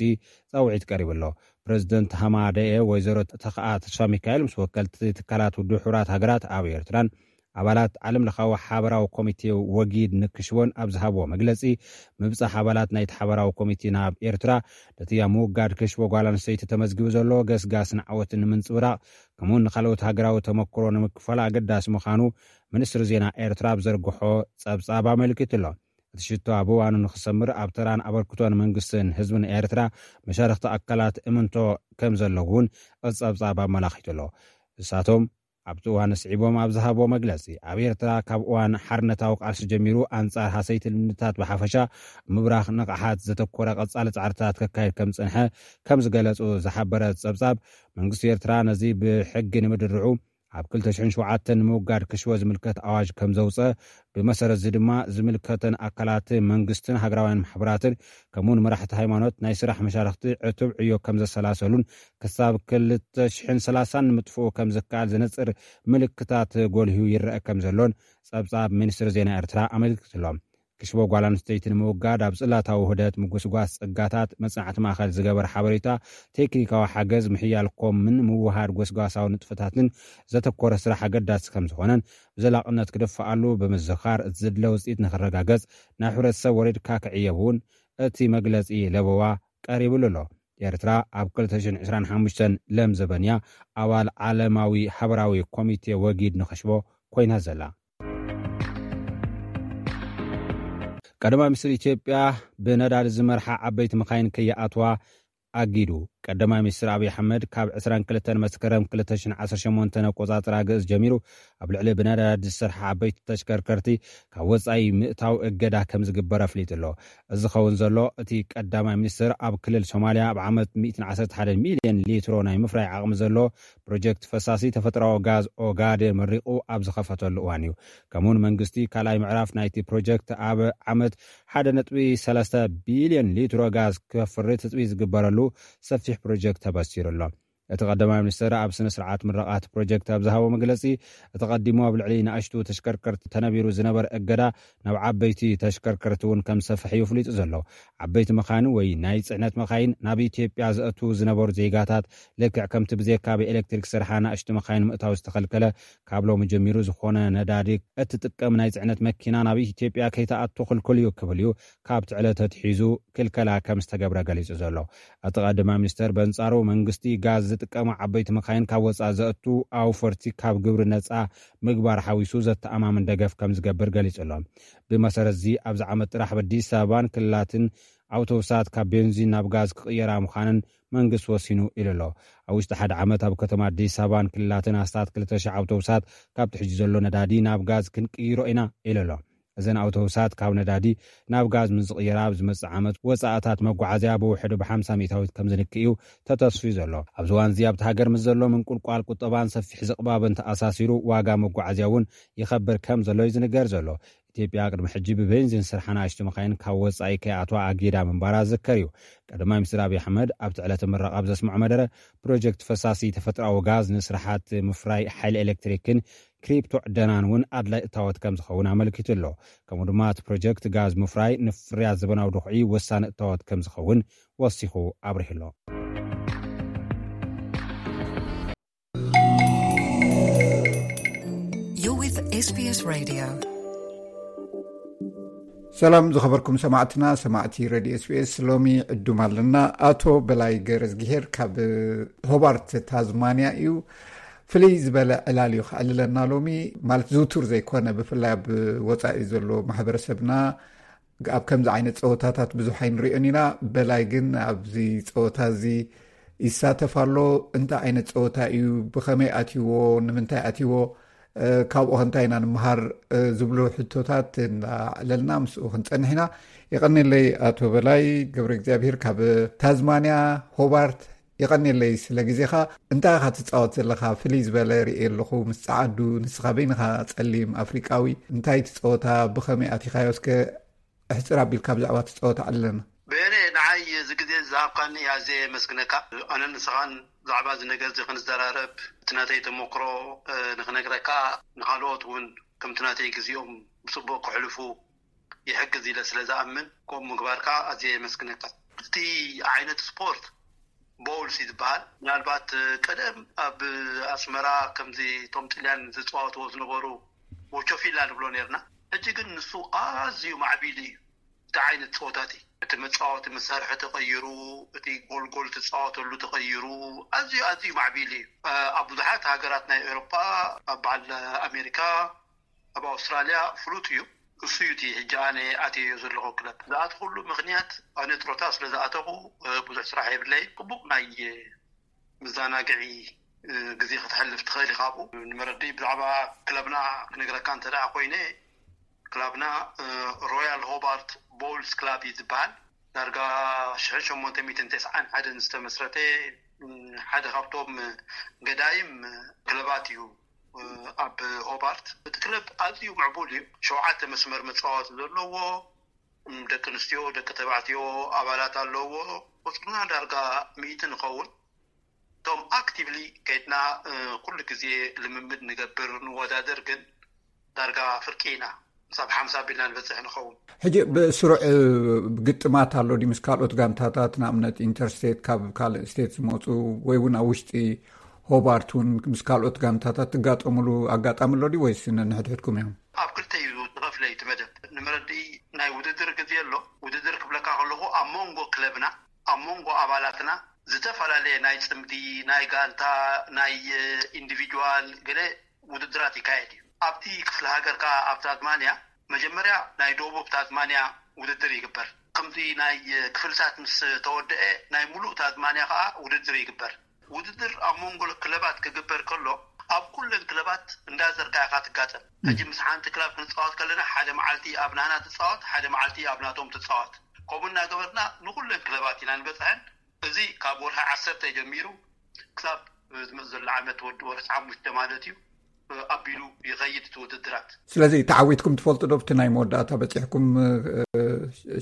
ጻውዒት ቀሪቡ ኣሎ። ፕረዚደንት ሃማደኤ ወይዘሮ ተኸኣ ተስፋ ሚካኤል ምስ ወከልቲ ትካላት ውድብ ሕቡራት ሃገራት ኣብ ኤርትራን ኣባላት ዓለም ለኻዊ ሓበራዊ ኮሚቴ ወጊድ ንክሽቦን ኣብ ዝሃብዎ መግለጺ፣ ምብጻሕ ኣባላት ናይቲ ሓበራዊ ኮሚቴ ናብ ኤርትራ ነቲ ኣብ ምውጋድ ክሽቦ ጓል ኣንስተይቲ ተመዝጊቡ ዘሎ ገስጋስን ዓወትን ንምንጽብራቕ፣ ከምኡውን ንኻልኦት ሃገራዊ ተመክሮ ንምክፋል ኣገዳሲ ምዃኑ ሚኒስትሪ ዜና ኤርትራ ኣብ ዘርግሖ ጸብጻብ ኣመልኪቱ ኣሎ። እቲ ሽቶ ኣብ እዋኑ ንኽሰምር ኣብ ተራን ኣበርክቶን መንግስትን ህዝብን ኤርትራ መሻርኽቲ ኣካላት እምንቶ ከም ዘለዉ እውን እቲ ጸብጻብ ኣመላኺቱ ኣሎ። ንሳቶም ኣብቲ እዋን ስዒቦም ኣብ ዝሃብዎ መግለጺ፣ ኣብ ኤርትራ ካብ እዋን ሓርነታዊ ቃልሲ ጀሚሩ ኣንጻር ሃሰይቲ ልምድታት ብሓፈሻ ምብራኽ ንቕሓት ዘተኮረ ቀጻሊ ጻዕርታት ከካየድ ከም ዝጸንሐ ከም ዝገለጹ ዝሓበረ ጸብጻብ፣ መንግስቲ ኤርትራ ነዚ ብሕጊ ንምድርዑ ኣብ ክልተ ሽሕን ሸውዓተን ንምውጋድ ክሽወ ዝምልከት ኣዋጅ ከም ዘውጸ፣ ብመሰረት እዚ ድማ ዝምልከተን ኣካላት መንግስትን ሃገራውያን ማሕበራትን ከምኡውን መራሕቲ ሃይማኖት ናይ ስራሕ መሻርኽቲ ዕቱብ ዕዮ ከም ዘሰላሰሉን ክሳብ ክልተ ሽሕን ሰላሳን ንምጥፍኡ ከም ዝከኣል ዘነጽር ምልክታት ጎልሁ ይረአ ከም ዘሎን ጸብጻብ ሚኒስትሪ ዜና ኤርትራ ኣመልኪቱ ኣሎ። ክሽቦ ጓል ኣንስተይቲ ንምውጋድ ኣብ ጽላታዊ ውህደት፣ ምጉስጓስ ጸጋታት፣ መጽናዕቲ ማእከል ዝገበር ሓበሬታ፣ ቴክኒካዊ ሓገዝ፣ ምሕያል ኮምን ምውሃድ ጎስጓሳዊ ንጥፈታትን ዘተኮረ ስራሕ ኣገዳሲ ከም ዝኾነን ብዘላቕነት ክድፍኣሉ ብምዝኻር፣ እቲ ዝድለ ውጽኢት ንኽረጋገጽ ናብ ሕብረተሰብ ወሪድካ ክዕየብ እውን እቲ መግለጺ ለበዋ ቀሪብሉ ኣሎ። ኤርትራ ኣብ ክልተ ሽሕን ዕስራን ሓሙሽተን ለም ዘበን እያ ኣባል ዓለማዊ ሓበራዊ ኮሚቴ ወጊድ ንኽሽቦ ኮይና ዘላ። ቀዳማይ ሚኒስትር ኢትዮጵያ ብነዳዲ ዝመርሓ ዓበይቲ መኻይን ከይኣትዋ ኣጊዱ። ቀዳማይ ሚኒስትር ኣብይ ኣሕመድ ካብ ዕስራን ክልተን መስከረም ክልተ ሽሕን ዓሰርተ ሸሞንተን ኣቆጻጽራ ግእዝ ጀሚሩ ኣብ ልዕሊ ብነዳዲ ዝሰርሓ ዓበይቲ ተሽከርከርቲ ካብ ወጻኢ ምእታው እገዳ ከም ዝግበር ኣፍሊጡ ኣሎ። እዚ ዝኸውን ዘሎ እቲ ቀዳማይ ሚኒስትር ኣብ ክልል ሶማልያ ኣብ ዓመት ሚእትን ዓሰርተ ሓደን ሚልዮን ሊትሮ ናይ ምፍራይ ዓቕሚ ዘሎ ፕሮጀክት ፈሳሲ ተፈጥሮኣዊ ጋዝ ኦጋዴን መሪቑ ኣብ ዝኸፈተሉ እዋን እዩ። ከምኡውን መንግስቲ ካልኣይ ምዕራፍ ናይቲ ፕሮጀክት ኣብ ዓመት ሓደ ነጥቢ ሰለስተ ቢልዮን ሊትሮ ጋዝ ከፍሪ ትጽቢት ዝግበረሉ ሰፊሕ ፕሮጀክት ተበሲሩ ኣሎ። እቲ ቀዳማይ ሚኒስትር ኣብ ስነ ስርዓት ምረቓ እቲ ፕሮጀክት ኣብ ዝሃቦ መግለጺ፣ እቲ ቀዲሙ ኣብ ልዕሊ ንኣሽቱ ተሽከርከርቲ ተነቢሩ ዝነበረ እገዳ ናብ ዓበይቲ ተሽከርከርቲ እውን ከም ዝሰፍሕ እዩ ፍሊጡ ዘሎ። ዓበይቲ መኻይን ወይ ናይ ጽዕነት መኻይን ናብ ኢትዮጵያ ዘእቱ ዝነበሩ ዜጋታት፣ ልክዕ ከምቲ ብዜካ ብኤሌክትሪክ ዝሰርሓ ንኣሽቱ መኻይን ምእታው ዝተኸልከለ፣ ካብ ሎሚ ጀሚሩ ዝኾነ ነዳዲ እትጥቀም ናይ ጽዕነት መኪና ናብ ኢትዮጵያ ከይትኣቱ ክልኩል እዩ ክብል እዩ ካብቲ ዕለት ኣትሒዙ ክልከላ ከም ዝተገብረ ገሊጹ ዘሎ። እቲ ቀዳማይ ሚኒስተር በንጻሩ መንግስቲ ጋዝ ዝጥቀማ ዓበይቲ መኻይን ካብ ወጻኢ ዘእቱ ኣውፈርቲ ካብ ግብሪ ነጻ ምግባር ሓዊሱ ዘተኣማምን ደገፍ ከም ዝገብር ገሊጹ ኣሎ። ብመሰረት እዚ ኣብዚ ዓመት ጥራሕ ኣብ ኣዲስ ኣበባን ክልላትን ኣውቶቡሳት ካብ ቤንዚን ናብ ጋዝ ክቕየራ ምዃነን መንግስቲ ወሲኑ ኢሉ ኣሎ። ኣብ ውሽጢ ሓደ ዓመት ኣብ ከተማ ኣዲስ ኣበባን ክልላትን ኣስታት ክልተ ሽሕ ኣውቶቡሳት ካብቲ ሕጂ ዘሎ ነዳዲ ናብ ጋዝ ክንቅይሮ ኢና ኢሉ ኣሎ። እዘን ኣውቶቡሳት ካብ ነዳዲ ናብ ጋዝ ምስ ዝቕየራ ኣብ ዝመጽእ ዓመት ወጻእታት መጓዓዝያ ብውሕዱ ብሓምሳ ሚእታዊት ከም ዝንክእ እዩ ተተስፍዩ ዘሎ። ኣብዚ እዋን እዚ ኣብቲ ሃገር ምስ ዘሎ ምንቁልቋል ቁጠባን ሰፊሕ ዝቕባብን ተኣሳሲሩ ዋጋ መጓዓዝያ እውን ይኸብር ከም ዘሎ እዩ ዝንገር ዘሎ። ኢትዮጵያ ቅድሚ ሕጂ ብቤንዚን ዝሰርሓ ንኣሽቱ መኻይን ካብ ወጻኢ ከይኣትዋ ኣጊዳ ምንባራ ዝዝከር እዩ። ቀዳማይ ሚኒስትር ኣብይ ኣሕመድ ኣብቲ ዕለተ ምረቓ ኣብ ዘስምዖ መደረ፣ ፕሮጀክት ፈሳሲ ተፈጥሮኣዊ ጋዝ ንስራሓት ምፍራይ ሓይሊ ኤሌክትሪክን ክሪፕቶ ዕደናን እውን ኣድላይ እታወት ከም ዝኸውን ኣመልኪቱ ኣሎ። ከምኡ ድማ እቲ ፕሮጀክት ጋዝ ምፍራይ ንፍርያት ዘበናዊ ድኹዒ ወሳኒ እታወት ከም ዝኸውን ወሲኹ ኣብሪሁ ኣሎ። SBS Radio. ሰላም ዝኸበርኩም ሰማዕትና፣ ሰማዕቲ ሬድዮ ኤስቢኤስ፣ ሎሚ ዕዱም ኣለና። ኣቶ በላይ ገረዝግሄር ካብ ሆባርት ታዝማንያ እዩ። ፍልይ ዝበለ ዕላል እዩ ከዕልለና ሎሚ፣ ማለት ዝውቱር ዘይኮነ፣ ብፍላይ ኣብ ወጻኢ ዘሎ ማሕበረሰብና ኣብ ከምዚ ዓይነት ጸወታታት ብዙሕ ኣይንሪኦን ኢና። በላይ ግን ኣብዚ ጸወታ እዚ ይሳተፍ ኣሎ። እንታይ ዓይነት ጸወታ እዩ? ብኸመይ ኣትይዎ? ንምንታይ ኣትይዎ? እ፣ ካብኡ ኸ እንታይ ኢና ንምሃር? እ፣ ዝብሉ ሕቶታት እናዕለልና ምስኡ ክንጸንሕ ኢና። የቐንየለይ ኣቶ በላይ ገብረ እግዚኣብሔር ካብ ታዝማንያ ሆባርት። የቐንየለይ ስለ ግዜኻ። እንታይ ኢኻ ትጻወት ዘለኻ? ፍልይ ዝበለ ርእየ ኣለኹ ምስ ጸዓዱ። ንስኻ በይንኻ ጸሊም ኣፍሪቃዊ። እንታይ ትጻወታ? ብኸመይ ኣቲኻዮ? እስከ ኣሕጽር ኣቢልካ ብዛዕባ እቲ ጸወታ ኣዕልለና። በየነ፣ ንዓይ እዚ ግዜ ዝሃብካኒ ኣዝየ የመስግነካ። ኣነ ንስኻን ብዛዕባ እዚ ነገር እዚ ክንዘራረብ፣ እቲ ናተይ ተመክሮ፣ እ፣ ንኽነግረካ፣ ንኻልኦት እውን ከምቲ ናተይ ግዜኦም ብጽቡቕ ክሕልፉ ይሕግዝ ኢለ ስለ ዝኣምን፣ ከምኡ ምግባርካ ኣዝየ የመስግነካ። እቲ ዓይነት ስፖርት ቦውልስ እዩ ዝበሃል። ምናልባት ቀደም ኣብ ኣስመራ ከምዚ እቶም ጥልያን ዝጻወትዎ ዝነበሩ ቦቾፊላ ንብሎ ነርና። ሕጂ ግን ንሱ ኣዝዩ ማዕቢሉ እዩ። እቲ ዓይነት ጸወታ እቲ፣ እቲ መጻወቲ መሳርሒ ተቐይሩ፣ እቲ ጎልጎል ትጻወተሉ ተቐይሩ፣ ኣዝዩ፣ ኣዝዩ ማዕቢሉ እዩ። ኣብ ብዙሓት ሃገራት ናይ ኤውሮጳ፣ ኣብ በዓል ኣሜሪካ፣ ኣብ ኣውስትራልያ ፍሉጥ እዩ። እሱ እዩ እቲ ሕጂ ኣነ ኣትየዮ ዘለኹ ክለብ። ዝኣተኹሉ ምኽንያት፣ ኣነ ጥሮታ ስለ ዝኣተኹ፣ እ፣ ብዙሕ ስራሕ የብለይ። ጽቡቕ ናይ፣ እ፣ መዘናግዒ፣ እ፣ ግዜ ከተሕልፍ ትኽእል ኢኻ ኣብኡ። ንመረድኢ ብዛዕባ ክለብና ክነግረካ እንተ ደኣ ኮይነ፣ ክለብና፣ እ፣ ሮያል ሆባርት ቦውልስ ክላብ እዩ ዝበሃል። ዳርጋ ሽሕን ሸሞንተ ሚእትን ተስዓን ሓደን ዝተመስረተ፣ እ፣ ሓደ ካብቶም ገዳይም ክለባት እዩ። ኣብ ሆባርት እቲ ክለብ ኣዝዩ ምዕቡል እዩ። ሸውዓተ መስመር መጻወቲ ዘለዎ፣ ደቂ ኣንስትዮ፣ ደቂ ተባዕትዮ ኣባላት ኣለዎ። ቁጽርና ዳርጋ ሚእቲ ንኸውን። እቶም ኣክቲቭሊ ከይድና፣ እ፣ ኩሉ ግዜ ልምምድ ንገብር፣ ንወዳደር፣ ግን ዳርጋ ፍርቂ ኢና። ክሳብ ሓምሳ ኣቢልና ንበጽሕ ንኸውን። ሕጂ ብስሩዕ፣ እ፣ ግጥማት ኣሎ ድዩ ምስ ካልኦት ጋንታታት፣ ንኣብነት ኢንተርስቴት ካብ ካልእ ስቴት ዝመጹ፣ ወይ እውን ኣብ ውሽጢ ሆባርት እውን ምስ ካልኦት ጋንታታት ትጋጠሙሉ ኣጋጣሚ ኣሎ ድዩ፣ ወይስ ነንሕድሕድኩም እዮም? ኣብ ክልተ እዩ ተኸፍለ እቲ መደብ። ንመረድኢ ናይ ውድድር ግዜ ኣሎ። ውድድር ክብለካ ከለኹ ኣብ መንጎ ክለብና፣ ኣብ መንጎ ኣባላትና ዝተፈላለየ ናይ ጽምዲ፣ ናይ ጋንታ፣ ናይ፣ እ፣ ኢንዲቪጁዋል ገለ ውድድራት ይካየድ እዩ። ኣብቲ ክፍለ ሃገር ከኣ ኣብ ታዝማንያ መጀመርያ ናይ ደቡብ ታዝማንያ ውድድር ይግበር። ከምዚ ናይ ክፍልታት ምስ ተወደአ ናይ ሙሉእ ታዝማንያ ከኣ ውድድር ይግበር። ውድድር ኣብ መንጎ ክለባት ክግበር ከሎ ኣብ ኩለን ክለባት እንዳዘርካ ኢኻ ትጋጠም። ሕጂ ምስ ሓንቲ ክለብ ክንጻወት ከለና ሓደ መዓልቲ ኣብ ናህና ትጻወት፣ ሓደ መዓልቲ ኣብ ናቶም ትጻወት። ከምኡ እናገበርና ንኩለን ክለባት ኢና ንበጽሐን። እዚ ካብ ወርሒ ዓሰርተ ጀሚሩ ክሳብ ዝመጽእ ዘሎ ዓመት ወዲ ወርሒ ሓሙሽተ ማለት እዩ፣ ኣቢሉ ይኸይድ እቲ ውድድራት። ስለዚ ተዓዊትኩም ትፈልጡ ዶ? ኣብቲ ናይ መወዳእታ በጺሕኩም፣ እ፣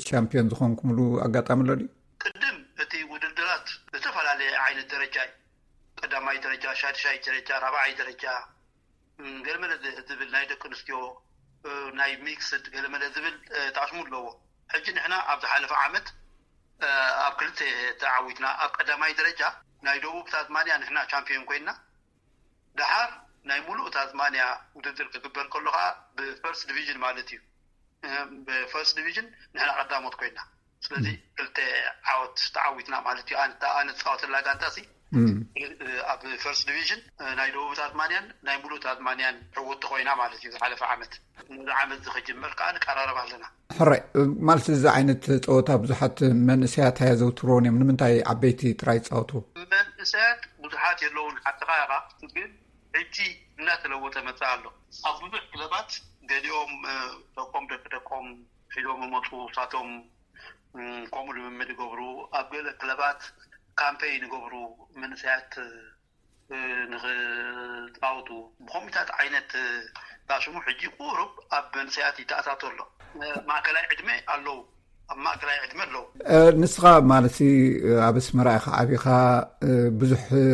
ሻምፒዮን ዝኾንኩምሉ ኣጋጣሚ ኣሎ ድዩ? ቅድም እቲ ውድድራት ዝተፈላለየ ዓይነት ደረጃ እዩ። ቀዳማይ ደረጃ፣ ሻድሻይ ደረጃ፣ ራብዓይ ደረጃ፣ እም፣ ገለመለ ዝ-፣ ዝብል ናይ ደቂ ኣንስትዮ፣ እ፣ ናይ ሚክስድ ገለመለ ዝብል፣ እ፣ ጣዕስሙ ኣለዎ። ሕጂ ንሕና ኣብ ዝሓለፈ ዓመት፣ እ፣ ኣብ ክልተ ተዓዊትና። ኣብ ቀዳማይ ደረጃ ናይ ደቡብ ታዝማንያ ንሕና ቻምፒዮን ኮይንና። ደሓር ናይ ሙሉእ ታዝማንያ ውድድር ክግበር ከሎ ከኣ ብፈርስት ዲቪዥን ማለት እዩ። እ፣ ብፈርስት ዲቪዥን ንሕና ቀዳሞት ኮይና። ስለዚ እም። ክልተ ዓወት ተዓዊትና ማለት እዩ። ኣነ፣ ኣነ ዝጻወተላ ጋንታ ሲ እም። ኣብ ፈርስት ዲቪዥን ናይ ደቡብ ታዝማንያን ናይ ሙሉእ ታዝማንያን ዕውቲ ኮይና ማለት እዩ። ዝሓለፈ ዓመት፣ ነዚ ዓመት እዚ ክጅመር ከዓ ንቀራረብ ኣለና። ሕራይ፣ ማለት እዚ ዓይነት ፀወታ ብዙሓት መንእሰያት ኣየዘውትርዎን እዮም። ንምንታይ ዓበይቲ ጥራይ ይፃወቱ? መንእሰያት ብዙሓት የለውን፣ ሓቅኻ ኢኻ። ግን ሕጂ እናተለወጠ መፅእ ኣሎ። ኣብ ብዙሕ ክለባት ገሊኦም፣ እ፣ ደቆም ደቂ ደቆም ሒዞም ይመፁ፣ ንሳቶም እም፣ ከምኡ ልምምድ ይገብሩ። ኣብ ገለ ክለባት ካምፔይን ይገብሩ፣ መንእሰያት፣ እ፣ ንኽጻወቱ። ብኸምኡታት ዓይነት፣ እ፣ ዳሽሙ ሕጂ ቁሩብ ኣብ መንእሰያት ይተኣታቶ ኣሎ። እ፣ ማእከላይ ዕድመ ኣለዉ፣ ኣብ ማእከላይ ዕድመ ኣለዉ። እ፣ ንስኻ ማለት ሲ፣ እ፣ ኣብ ኣስመራ ኢኻ ዓቢኻ፣ እ፣ ብዙሕ፣ እ፣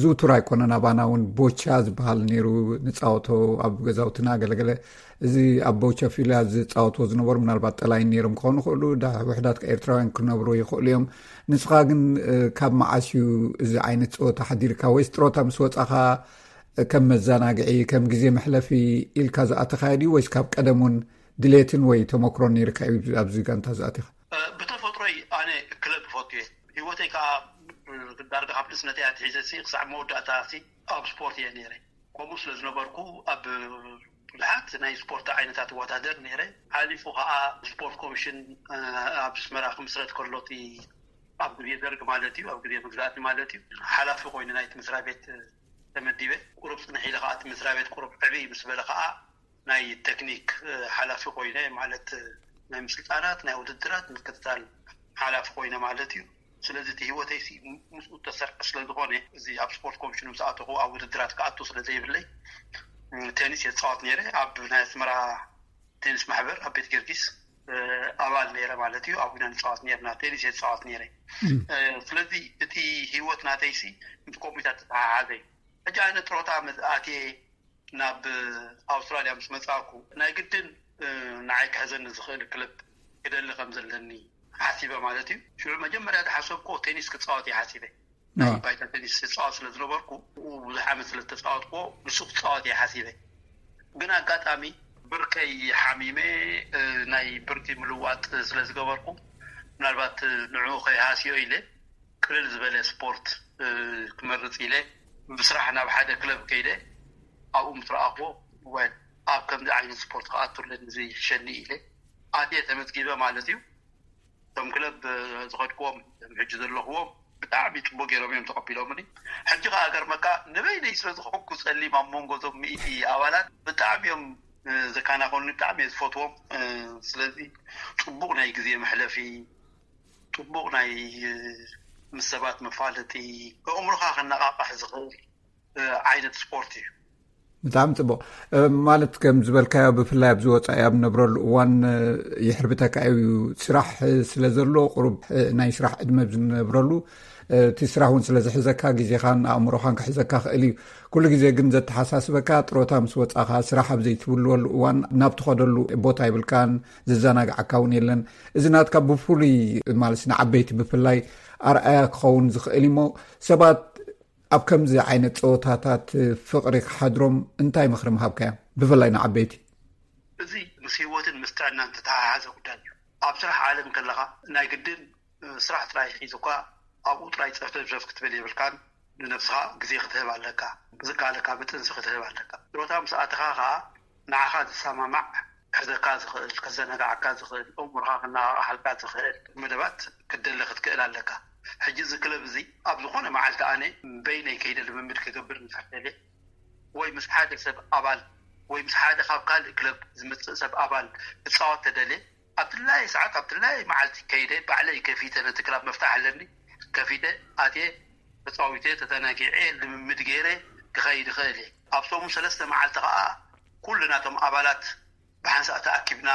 ዝውቱር ኣይኮነን። ኣባና እውን ቦቻ ዝበሃል ነይሩ፣ ንፃወቶ ኣብ ገዛውትና ገለገለ። እዚ ኣብ ቦቻ ፊላ ዝፃወትዎ ዝነበሩ ምናልባት ጠላይን ነይሮም ክኾኑ ይኽእሉ፣ ዳ-፣ ውሑዳት ኤርትራውያን ክነብሩ ይኽእሉ እዮም። ንስኻ ግን፣ እ፣ ካብ መዓስ እዩ እዚ ዓይነት ፀወታ ሓዲርካ? ወይስ ጥሮታ ምስ ወፃኻ፣ ከም መዘናግዒ፣ ከም ግዜ መሕለፊ ኢልካ ዝኣተኻዮ ድዩ ወይስ ካብ ቀደም እውን ድሌትን ወይ ተመክሮን ነይርካ እዩ ኣብዚ ጋንታ ዝኣተኻ? ብተፈጥሮይ ኣነ ክለብ ይፈቱ እየ። ህይወተይ ከዓ ዳርጋ ካብ ንእስነተይ ኣትሒዘ ክሳዕ መወዳእታ ኣብ ስፖርት እየ ነይረ። ከምኡ ስለ ዝነበርኩ ኣብ ብዙሓት ናይ ስፖርት ዓይነታት እወዳደር ነይረ። ሓሊፉ ከዓ ስፖርት ኮሚሽን ኣብ ኣስመራ ክምስረት ከሎ፣ እቲ ኣብ ግዜ ደርግ ማለት እዩ፣ ኣብ ግዜ መግዛእቲ ማለት እዩ፣ ሓላፊ ኮይኑ ናይቲ መስሪያ ቤት ተመዲበ። ቁሩብ ፅንሕ ኢለ ከዓ እቲ መስሪያ ቤት ቁሩብ ዕብይ ምስ በለ ከዓ ናይ ቴክኒክ ሓላፊ ኮይነ፣ ማለት ናይ ምስልጣናት፣ ናይ ውድድራት ምክትታል ሓላፊ ኮይነ ማለት እዩ። ስለዚ እቲ ህይወተይ ምስኡ ተሰርዐ ስለ ዝኾነ፣ እዚ ኣብ ስፖርት ኮሚሽን ምስ ኣተኹ ኣብ ውድድራት ክኣቱ ስለ ዘይብለይ፣ ቴኒስ የፃወት ነይረ። ኣብ ናይ ኣስመራ ቴኒስ ማሕበር ኣብ ቤት ጊዮርጊስ ኣባል ነይረ ማለት እዩ። ኣብ ዊና ንፃወት ነርና፣ ቴኒስ የፃወት ነይረ። ስለዚ እቲ ህይወት ናተይሲ ምስ ኮምፒውተር ተተሓሓዘ። ሕጂ ኣነ ጥሮታ ኣትየ ናብ ኣውስትራልያ ምስ መፃእኩ፣ ናይ ግድን ንዓይ ክሕዘኒ ዝኽእል ክለብ ክደሊ ከም ዘለኒ ሓሲበ ማለት እዩ። ሽዑ መጀመርያ ዝሓሰብኩ ቴኒስ ክፃወት እየ ሓሲበ። ናይ ባይታ ቴኒስ ዝፃወት ስለ ዝነበርኩ፣ ብዙሕ ዓመት ስለ ዝተፃወትኩዎ፣ ንሱ ክፃወት እየ ሓሲበ። ግን ኣጋጣሚ ብርከይ ሓሚመ፣ ናይ ብርኪ ምልዋጥ ስለ ዝገበርኩ፣ ምናልባት ንዕኡ ከይሃስዮ ኢለ ቅልል ዝበለ ስፖርት ክመርፅ ኢለ ብስራሕ ናብ ሓደ ክለብ ከይደ፣ ኣብኡ ምስ ረኣኽዎ፣ ወል ኣብ ከምዚ ዓይነት ስፖርት ክኣቱ ኣለኒ ዝሕሸኒ ኢለ ኣትየ ተመዝጊበ ማለት እዩ። እቶም ክለብ ዝኸድክዎም ሕጂ ዘለኽዎም ብጣዕሚ ፅቡቅ ገይሮም እዮም ተቐቢሎምኒ። ሕጂ ከዓ ገርመካ ንበይነይ ስለ ዝኾንኩ ፀሊም ኣብ መንጎ እዞም ሚእቲ ኣባላት ብጣዕሚ እዮም ዘካናኾኒ፣ ብጣዕሚ እየ ዝፈትዎም። ስለዚ ፅቡቅ ናይ ግዜ መሕለፊ፣ ፅቡቅ ናይ ምስ ሰባት መፋለጢ፣ ኣእምሮኻ ከነቃቅሕ ዝኽእል ዓይነት ስፖርት እዩ። ብጣዕሚ ፅቡቅ። ማለት ከም ዝበልካዮ ብፍላይ ኣብዚ ወፃኢ ኣብ ነብረሉ እዋን ይሕርብተካ እዩ። ስራሕ ስለ ዘሎ ቁሩብ ናይ ስራሕ ዕድመ ዝነብረሉ እቲ ስራሕ እውን ስለ ዝሕዘካ ግዜኻን ኣእምሮኻን ክሕዘካ ክእል እዩ። ኩሉ ግዜ ግን ዘተሓሳስበካ ጥሮታ ምስ ወፃኻ ስራሕ ኣብ ዘይትብልወሉ እዋን ናብ ትኸደሉ ቦታ ይብልካን ዝዘናግዓካ እውን የለን። እዚ ናትካ ብፍሉይ ማለት ንዓበይቲ ብፍላይ ኣርኣያ ክኸውን ዝኽእል እሞ ሰባት ኣብ ከምዚ ዓይነት ፀወታታት ፍቕሪ ክሓድሮም እንታይ ምኽሪ ምሃብካዮም? ብፍላይ ንዓበይቲ። እዚ ምስ ህይወትን ምስ ጥዕናን ዝተተሓሓዘ ጉዳይ እዩ። ኣብ ስራሕ ዓለም ከለኻ ናይ ግድን ስራሕ ጥራይ ሒዝኳ ኣብኡ ጥራይ ጸፍጸፍ ክትብል የብልካን። ንነብስኻ ግዜ ክትህብ ኣለካ። ብዝከኣለካ ብጥንሲ ክትህብ ኣለካ። ጥሮታ ምስ ኣተኻ ኸኣ ንዓኻ ዝሰማማዕ ክሕዘካ ዝኽእል፣ ከዘናግዓካ ዝኽእል፣ ኣእምሮኻ ክነቓቕሓልካ ዝኽእል መደባት ክትደሊ ክትክእል ኣለካ። ሕጂ እዚ ክለብ እዚ ኣብ ዝኾነ መዓልቲ ኣነ በይነይ ከይደ ልምምድ ክገብር እንድሕር ደልየ ወይ ምስ ሓደ ሰብ ኣባል ወይ ምስ ሓደ ካብ ካልእ ክለብ ዝመጽእ ሰብ ኣባል ክጻወት ተደልየ ኣብ ድላየ ሰዓት ኣብ ድላየ መዓልቲ ከይደ ባዕለይ ከፊተ ነቲ ክላብ መፍታሕ ኣለኒ ከፊተ ኣትየ ተፃዊተ ተዘናጊዐ ልምምድ ገይረ ክኸይድ ይኽእል እየ። ኣብ ሰሙን ሰለስተ መዓልቲ ከዓ ኩሉ ናቶም ኣባላት ብሓንሳእ ተኣኪብና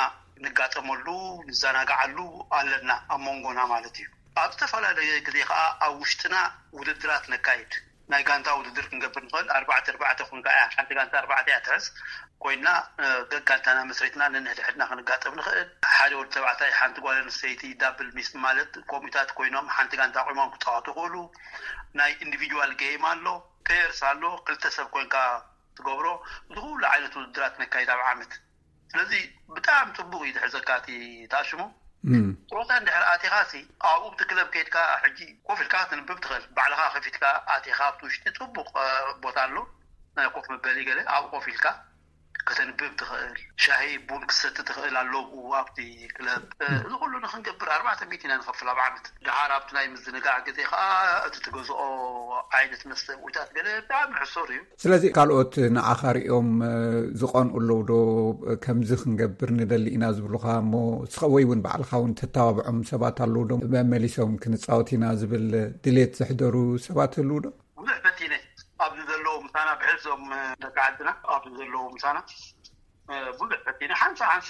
ንጋጠመሉ ንዘናግዓሉ ኣለና ኣብ መንጎና ማለት እዩ። ኣብ ዝተፈላለየ ግዜ ከዓ ኣብ ውሽጥና ውድድራት ነካይድ። ናይ ጋንታ ውድድር ክንገብር ንኽእል። ኣርባዕተ ኣርባዕተ ኮንካ እያ ሓንቲ ጋንታ ኣርባዕተ እያ ትሕዝ ኮይና ገጋንታና መስሪትና ነንሕድሕድና ክንጋጠም ንኽእል። ሓደ ወዲ ተባዕታይ ሓንቲ ጓል ኣንስተይቲ ዳብል ሚስ ማለት ኮሚታት ኮይኖም ሓንቲ ጋንታ ቆይሞም ክፃወቱ ይኽእሉ። ናይ ኢንዲቪጁዋል ጌም ኣሎ፣ ፔርስ ኣሎ፣ ክልተ ሰብ ኮይንካ ትገብሮ። እዚ ኩሉ ዓይነት ውድድራት ነካይድ ኣብ ዓመት። ስለዚ ብጣዕሚ ፅቡቅ እዩ ዝሕዘካ እቲ ተኣሽሙ። ፆታ እንድሕር ኣቲኻ ሲ ኣብኡ ብቲ ክለብ ከይድካ ሕጂ ኮፍ ኢልካ ክትንብብ ትኽእል። ባዕልኻ ከፊትካ ኣቲኻ ኣብቲ ውሽጢ ፅቡቅ ቦታ ኣሎ፣ ናይ ኮፍ መበሊ ገለ ኣብኡ ኮፍ ኢልካ ከተንብብ ትኽእል። ሻሂ ቡን ክሰቲ ትኽእል ኣሎ ኣብቲ ክለብ። እዚ ኩሉ ንክንገብር ኣርባዕተ ሚእቲ ኢና ንኸፍል ኣብ ዓመት። ደሓር ኣብቲ ናይ ምዝንጋዕ ግዜ ከዓ እቲ ትገዝኦ ዓይነት መስተ ውታት ገለ ብጣዕሚ ሕሱር እዩ። ስለዚ ካልኦት ንዓኻ ሪኦም ዝቐንኡ ኣለዉ ዶ? ከምዚ ክንገብር ንደሊ ኢና ዝብሉኻ እሞ ወይ እውን ባዕልኻ እውን ተተባብዖም ሰባት ኣለዉ ዶ? መመሊሶም ክንፃወት ኢና ዝብል ድሌት ዘሕደሩ ሰባት ህልዉ ዶ? ብዙሕ ፈቲነ ኣብዚ ዘለዉ ምሳና ብሕዞም ደቂ ዓድና ኣብዚ ዘለዉ ምሳና ብዙሕ ፈቲነ ሓንሳ ሓንሳ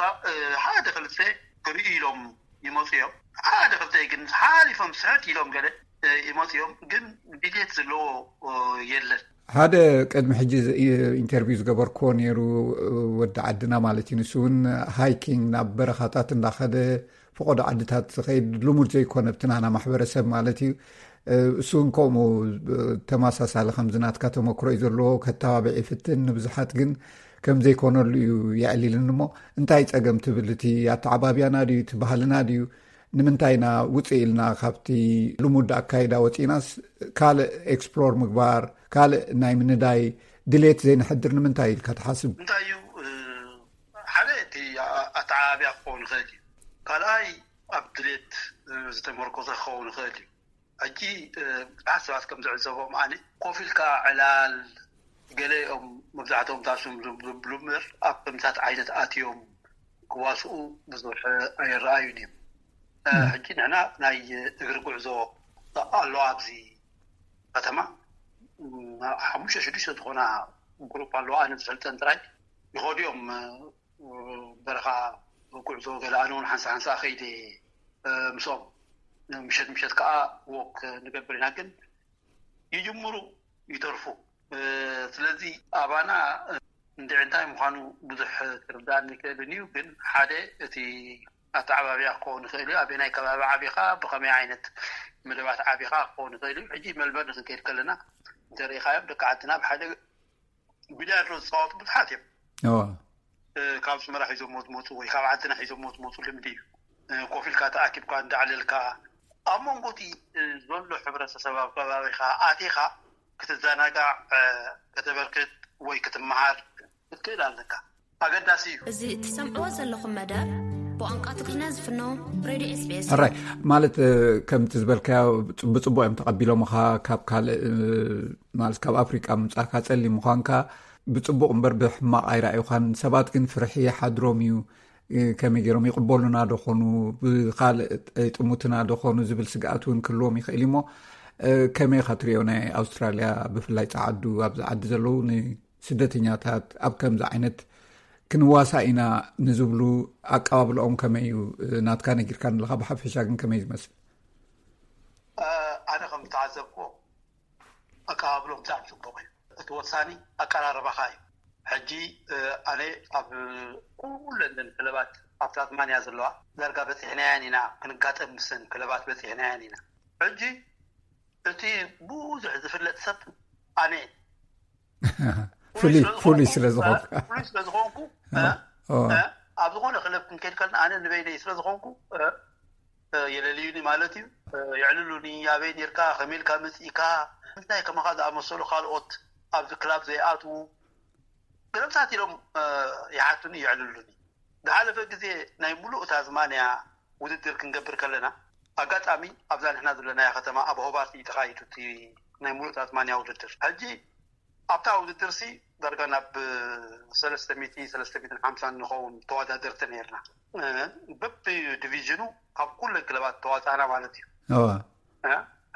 ሓደ ክልተ ክርእዩ ኢሎም ይመፁ እዮም። ሓደ ክልተ ግን ሓሊፎም ስሕት ኢሎም ገለ ይመፅኦም ግን ድሌት ዘለዎ የለን። ሓደ ቅድሚ ሕጂ ኢንተርቪው ዝገበርክዎ ነይሩ ወዲ ዓድና ማለት እዩ። ንሱ እውን ሃይኪንግ ናብ በረኻታት እንዳኸደ ፈቆዶ ዓድታት ዝኸይድ ልሙድ ዘይኮነ ብትናና ማሕበረሰብ ማለት እዩ። እሱ እንከምኡ ተመሳሳሊ ከምዚ ናትካ ተመክሮ እዩ ዘለዎ። ከተባብዕ ይፍትን፣ ንብዙሓት ግን ከም ዘይኮነሉ እዩ የዕሊልኒ። እሞ እንታይ ጸገም ትብል? እቲ ኣተዓባብያና ድዩ፣ እቲ ባህልና ድዩ? ንምንታይ ኢና ውፅእ ኢልና ካብቲ ልሙድ ኣካይዳ ወፂእናስ ካልእ ኤክስፕሎር ምግባር፣ ካልእ ናይ ምንዳይ ድሌት ዘይንሕድር ንምንታይ ኢልካ ትሓስብ? እንታይ እዩ? ሓደ እቲ ኣተዓባብያ ክኸውን ይኽእል እዩ። ካልኣይ ኣብ ድሌት ዝተመርኮሰ ክኸውን ይኽእል እዩ። ሕጂ ብዙሓት ሰባት ከም ዝዕዘቦም ኣነ ኮፍ ኢልካ ዕላል፣ ገለ እዮም መብዛሕትኦም ታሽም ዝብሉ እምበር ኣብ ከምታት ዓይነት ኣትዮም ክዋስኡ ብዙሕ ኣይረኣዩን እዮም። ሕጂ ንሕና ናይ እግሪ ጉዕዞ ኣሎ ኣብዚ ከተማ። ሓሙሽተ ሽዱሽተ ዝኾና ግሩፕ ኣለዋ፣ ኣነ ዝፈልጠን ጥራይ ይኸዱ እዮም። በረኻ ጉዕዞ ገለ ኣነ እውን ሓንሳ ሓንሳ ከይደ ምስኦም፣ ምሸት ምሸት ከዓ ወክ ንገብር ኢና። ግን ይጅምሩ ይተርፉ። ስለዚ ኣባና እንድዒ እንታይ ምዃኑ ብዙሕ ክርዳእኒ ይክእልን እዩ። ግን ሓደ እቲ ኣተዓባቢያ ክኸውን ይኽእል እዩ። ኣበናይ ከባቢ ዓቢኻ፣ ብኸመይ ዓይነት መደባት ዓቢኻ ክኸውን ይኽእል እዩ። ሕጂ መልበርን ክንከይድ ከለና እንተሪኢኻዮም ደቂ ዓድና ብሓደ ቢልያርዶ ዝፃወቱ ብዙሓት እዮም። ካብ ኣስመራ ሒዞሞ ዝመፁ ወይ ካብ ዓድና ሒዞሞ ዝመፁ ልምዲ እዩ። ኮፍ ኢልካ ተኣኪብካ እንዳዕለልካ ኣብ መንጎ እቲ ዘሎ ሕብረተሰብ ኣብ ከባቢኻ ኣቲኻ ክትዘናጋዕ፣ ከተበርክት ወይ ክትመሃር ክትክእል ኣለካ። ኣገዳሲ እዩ። እዚ እትሰምዕዎ ዘለኹም መደብ ብቋንቋ ትግርኛ ዝፍኖ ሬድዮ ኤስቢኤስ። ሕራይ ማለት ከምቲ ዝበልካዮ ብፅቡቅ እዮም ተቐቢሎምኻ። ካብ ካልእ ማለት ካብ ኣፍሪቃ ምምፃእካ፣ ፀሊም ምዃንካ ብፅቡቕ እምበር ብሕማቕ ኣይረኣዩኻን። ሰባት ግን ፍርሒ ይሓድሮም እዩ። ከመይ ገይሮም ይቕበሉና ዶ ኾኑ፣ ብኻልእ ይጥሙትና ዶ ኾኑ ዝብል ስግኣት እውን ክህልዎም ይኽእል እዩ። እሞ ከመይ ኢኻ ትሪኦ ናይ ኣውስትራልያ፣ ብፍላይ ፃዓዱ ኣብዚ ዓዲ ዘለዉ ንስደተኛታት ኣብ ከምዚ ዓይነት ክንዋሳእ ኢና ንዝብሉ ኣቀባብልኦም ከመይ እዩ? ናትካ ነጊርካ ኣለኻ፣ ብሓፈሻ ግን ከመይ ዝመስል? ኣነ ከም ዝተዓዘብኩዎ ኣቀባብሎም ብጣዕሚ ጽቡቕ እዩ። እቲ ወሳኒ ኣቀራርባኻ እዩ። ሕጂ ኣነ ኣብ ኩለን ክለባት ኣብ ታስማንያ ዘለዋ ዳርጋ በፂሕናያን ኢና፣ ክንጋጠም ምስን ክለባት በፂሕናያን ኢና። ሕጂ እቲ ብዙሕ ዝፍለጥ ሰብ ኣነ ፍሉይ ስለ ዝኾንኩ፣ ኣብ ዝኾነ ክለብ ክንከይድ ከለና ኣነ ንበይነይ ስለ ዝኾንኩ የለልዩኒ ማለት እዩ። የዕልሉኒ፣ ኣበይ ኔርካ፣ ከመይ ኢልካ መፂእካ፣ እንታይ ከማኻ ዝኣመሰሉ ካልኦት ኣብዚ ክላብ ዘይኣትዉ ገለምታት ኢሎም ይሓቱኒ፣ የዕልሉኒ። ዝሓለፈ ግዜ ናይ ሙሉእ ታዝማንያ ውድድር ክንገብር ከለና ኣጋጣሚ ኣብዛ ንሕና ዘለናያ ከተማ ኣብ ሆባርት እዩ ተኻይዱ እቲ ናይ ሙሉእ ታዝማንያ ውድድር። ሕጂ ኣብታ ውድድር ሲ ዳርጋ ናብ ሰለስተ ሚእቲ፣ ሰለስተ ሚእትን ሓምሳን ንኸውን ተወዳደርቲ ነርና። በቢ ዲቪዥኑ ካብ ኩለን ክለባት ተዋፃእና ማለት እዩ።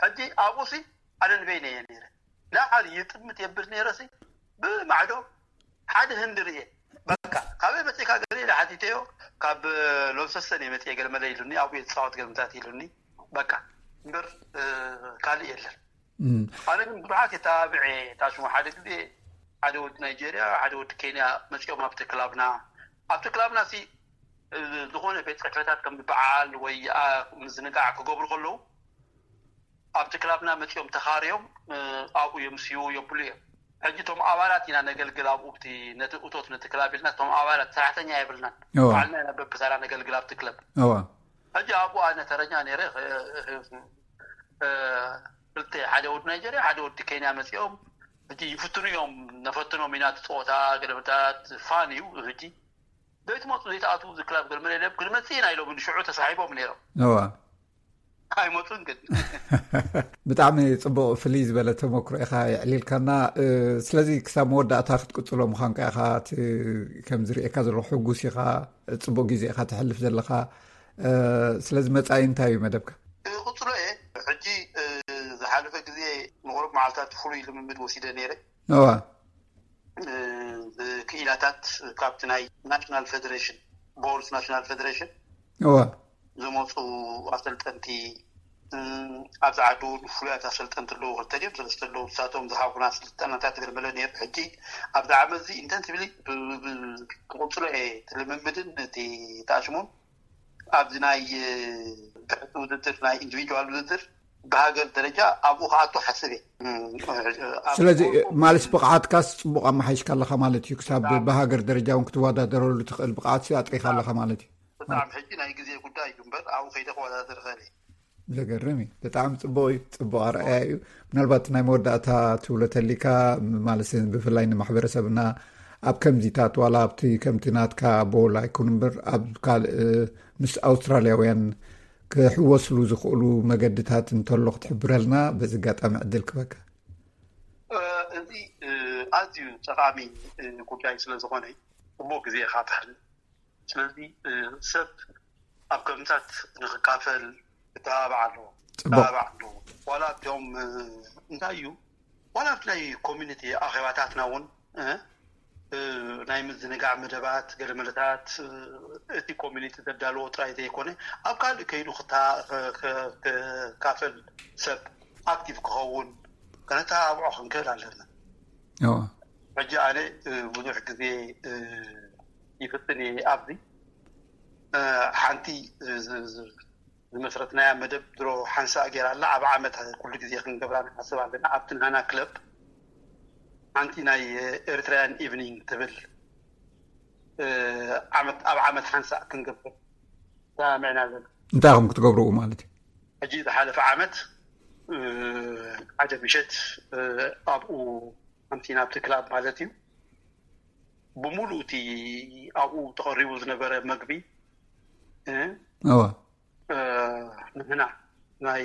ሕጂ ኣብኡ ሲ ኣነ ንበይነ እየ ነይረ። ላዕሊ ይጥምት የብል ነይረ ሲ ብማዕዶ ሓደ ህንዲ ርየ። በቃ ካበይ መፅእካ ገለ ኢለ ሓቲተዮ። ካብ ሎንሰስተን እየ መፅየ ገለ መለ ኢሉኒ። ኣብኡ እየ ዝፃወት ገለምታት ኢሉኒ። በቃ እምበር ካልእ የለን። ኣነ ግን ብዙሓት የተባብዐ ታሽሙ ሓደ ግዜ ሓደ ወዲ ናይጄርያ ሓደ ወዲ ኬንያ መፅኦም ኣብቲ ክላብና። ኣብቲ ክላብና ሲ ዝኾነ ቤት ፅሕፈታት ከም ዝበዓል ወይ ምዝንጋዕ ክገብሩ ከለዉ ኣብቲ ክላብና መፂኦም ተኻርዮም ኣብኡ የምስዩ የብሉ እዮም። ሕጂ እቶም ኣባላት ኢና ነገልግል ኣብኡ ብቲ ነቲ እቶት ነቲ ክላብ ኢልና እቶም ኣባላት ሰራሕተኛ የብልናን። ባዕልና ኢና በብተራ ነገልግል ኣብቲ ክለብ። ሕጂ ኣብኡ ኣነ ተረኛ ነይረ። ክልተ ሓደ ወዲ ናይጀርያ ሓደ ወዲ ኬንያ መፂኦም ሕጂ ይፍትኑ እዮም። ነፈትኖም ኢና እቲ ፀወታ ገለመታት ፋን እዩ። ሕጂ ዘይትመፁ ዘይትኣትዉ እዚ ክላብ ገለመለ ኢሎም ክንመፅእ ኢና ኢሎም ንሽዑ ተሳሒቦም ነይሮም። ኣይመፁን ግን ብጣዕሚ ፅቡቅ ፍልይ ዝበለ ተመክሮ ኢካ የዕሊልካና። ስለዚ ክሳብ መወዳእታ ክትቅፅሎ ምኳንካ ኢካ። ከምዝርእየካ ዘለኩ ሕጉስ ኢካ። ፅቡቅ ግዜ ኢካ ተሕልፍ ዘለካ። ስለዚ መፃኢ እንታይ እዩ መደብካ? ክቅፅሎ እየ። ሕጂ ዝሓለፈ ግዜ ንቁሩብ መዓልታት ፍሉይ ልምምድ ወሲደ ነይረ። እዋ ክኢላታት ካብቲ ናይ ናሽናል ፌደሬሽን ቦልስ ናሽናል ፌደሬሽን እዋ ዝመፁ ኣሰልጠንቲ ኣብዚ ዓዲ እውን ፍሉያት ኣሰልጠንቲ ኣለዉ። ክልተ ድዮም ሰለስተ ኣለዉ። ንሳቶም ዝሃቡና ስልጠናታት ገለመለ ነይሩ። ሕጂ ኣብዚ ዓመት እዚ ኢንተንሲቭሊ ክቕፅሎ እየ እቲ ልምምድን እቲ ተኣሽሙን ኣብዚ ናይ ትሕቲ ውድድር ናይ ኢንዲቪጁዋል ውድድር ብሃገር ደረጃ ኣብኡ ክኣቱ ሓስብ እየ። ስለዚ ማለት ብቕዓትካስ ጽቡቕ ኣመሓይሽካ ኣለኻ ማለት እዩ። ክሳብ ብሃገር ደረጃ እውን ክትወዳደረሉ ትኽእል ብቕዓት ኣጥሪኻ ኣለኻ ማለት እዩ። ብጣዕሚ ሕጂ ናይ ግዜ ጉዳይ እዩ እምበር ኣብኡ ከይደ ክወዳደር እኽእል እየ። ዘገርም እዩ። ብጣዕሚ ጽቡቕ እዩ። ጽቡቕ ኣርኣያ እዩ። ምናልባት ናይ መወዳእታ ትብሎ ተሊካ ማለት ብፍላይ ንማሕበረሰብና ኣብ ከምዚታት ዋላ ኣብቲ ከምቲ ናትካ ቦል ኣይኩን እምበር ኣብ ካልእ ምስ ኣውስትራልያውያን ክሕወስሉ ዝኽእሉ መገድታት እንተሎ ክትሕብረልና በዚ ኣጋጣሚ ዕድል ክበካ። እዚ ኣዝዩ ጠቓሚ ጉዳይ ስለ ዝኾነ ጽቡቕ ግዜ ኢኻ ትሓልፍ። ስለዚ ሰብ ኣብ ከምታት ንክካፈል ክተባባዕ ኣለዎ። ክተባባዕ ኣለዎ። ዋላ ኣብቲኦም እንታይ እዩ ዋላ ኣብቲ ናይ ኮሚኒቲ ኣኼባታትና እውን ናይ ምዝንጋዕ መደባት ገለመለታት እቲ ኮሚኒቲ ዘዳለዎ ጥራይ ዘይኮነ ኣብ ካልእ ከይዱ ክካፈል ሰብ ኣክቲቭ ክኸውን ከነተባብዖ ክንክእል ኣለና። ሕጂ ኣነ ብዙሕ ግዜ ይፍትን እየ ኣብዚ ሓንቲ ዝመስረትናያ መደብ ድሮ ሓንሳእ ገይራ ኣላ። ኣብ ዓመት ኩሉ ግዜ ክንገብራ ንሓስብ ኣለና። ኣብቲ ናና ክለብ ሓንቲ ናይ ኤሪትራያን ኢቭኒንግ ትብል ዓመት ኣብ ዓመት ሓንሳእ ክንገብር ተማሚዕና ኣለና። እንታይ ኢኹም ክትገብርኡ ማለት እዩ? ሕጂ ዝሓለፈ ዓመት ሓደ ምሸት ኣብኡ ኣምሲና ኣብቲ ክላብ ማለት እዩ። ብምሉእ እቲ ኣብኡ ተቐሪቡ ዝነበረ መግቢ እወ ንሕና ናይ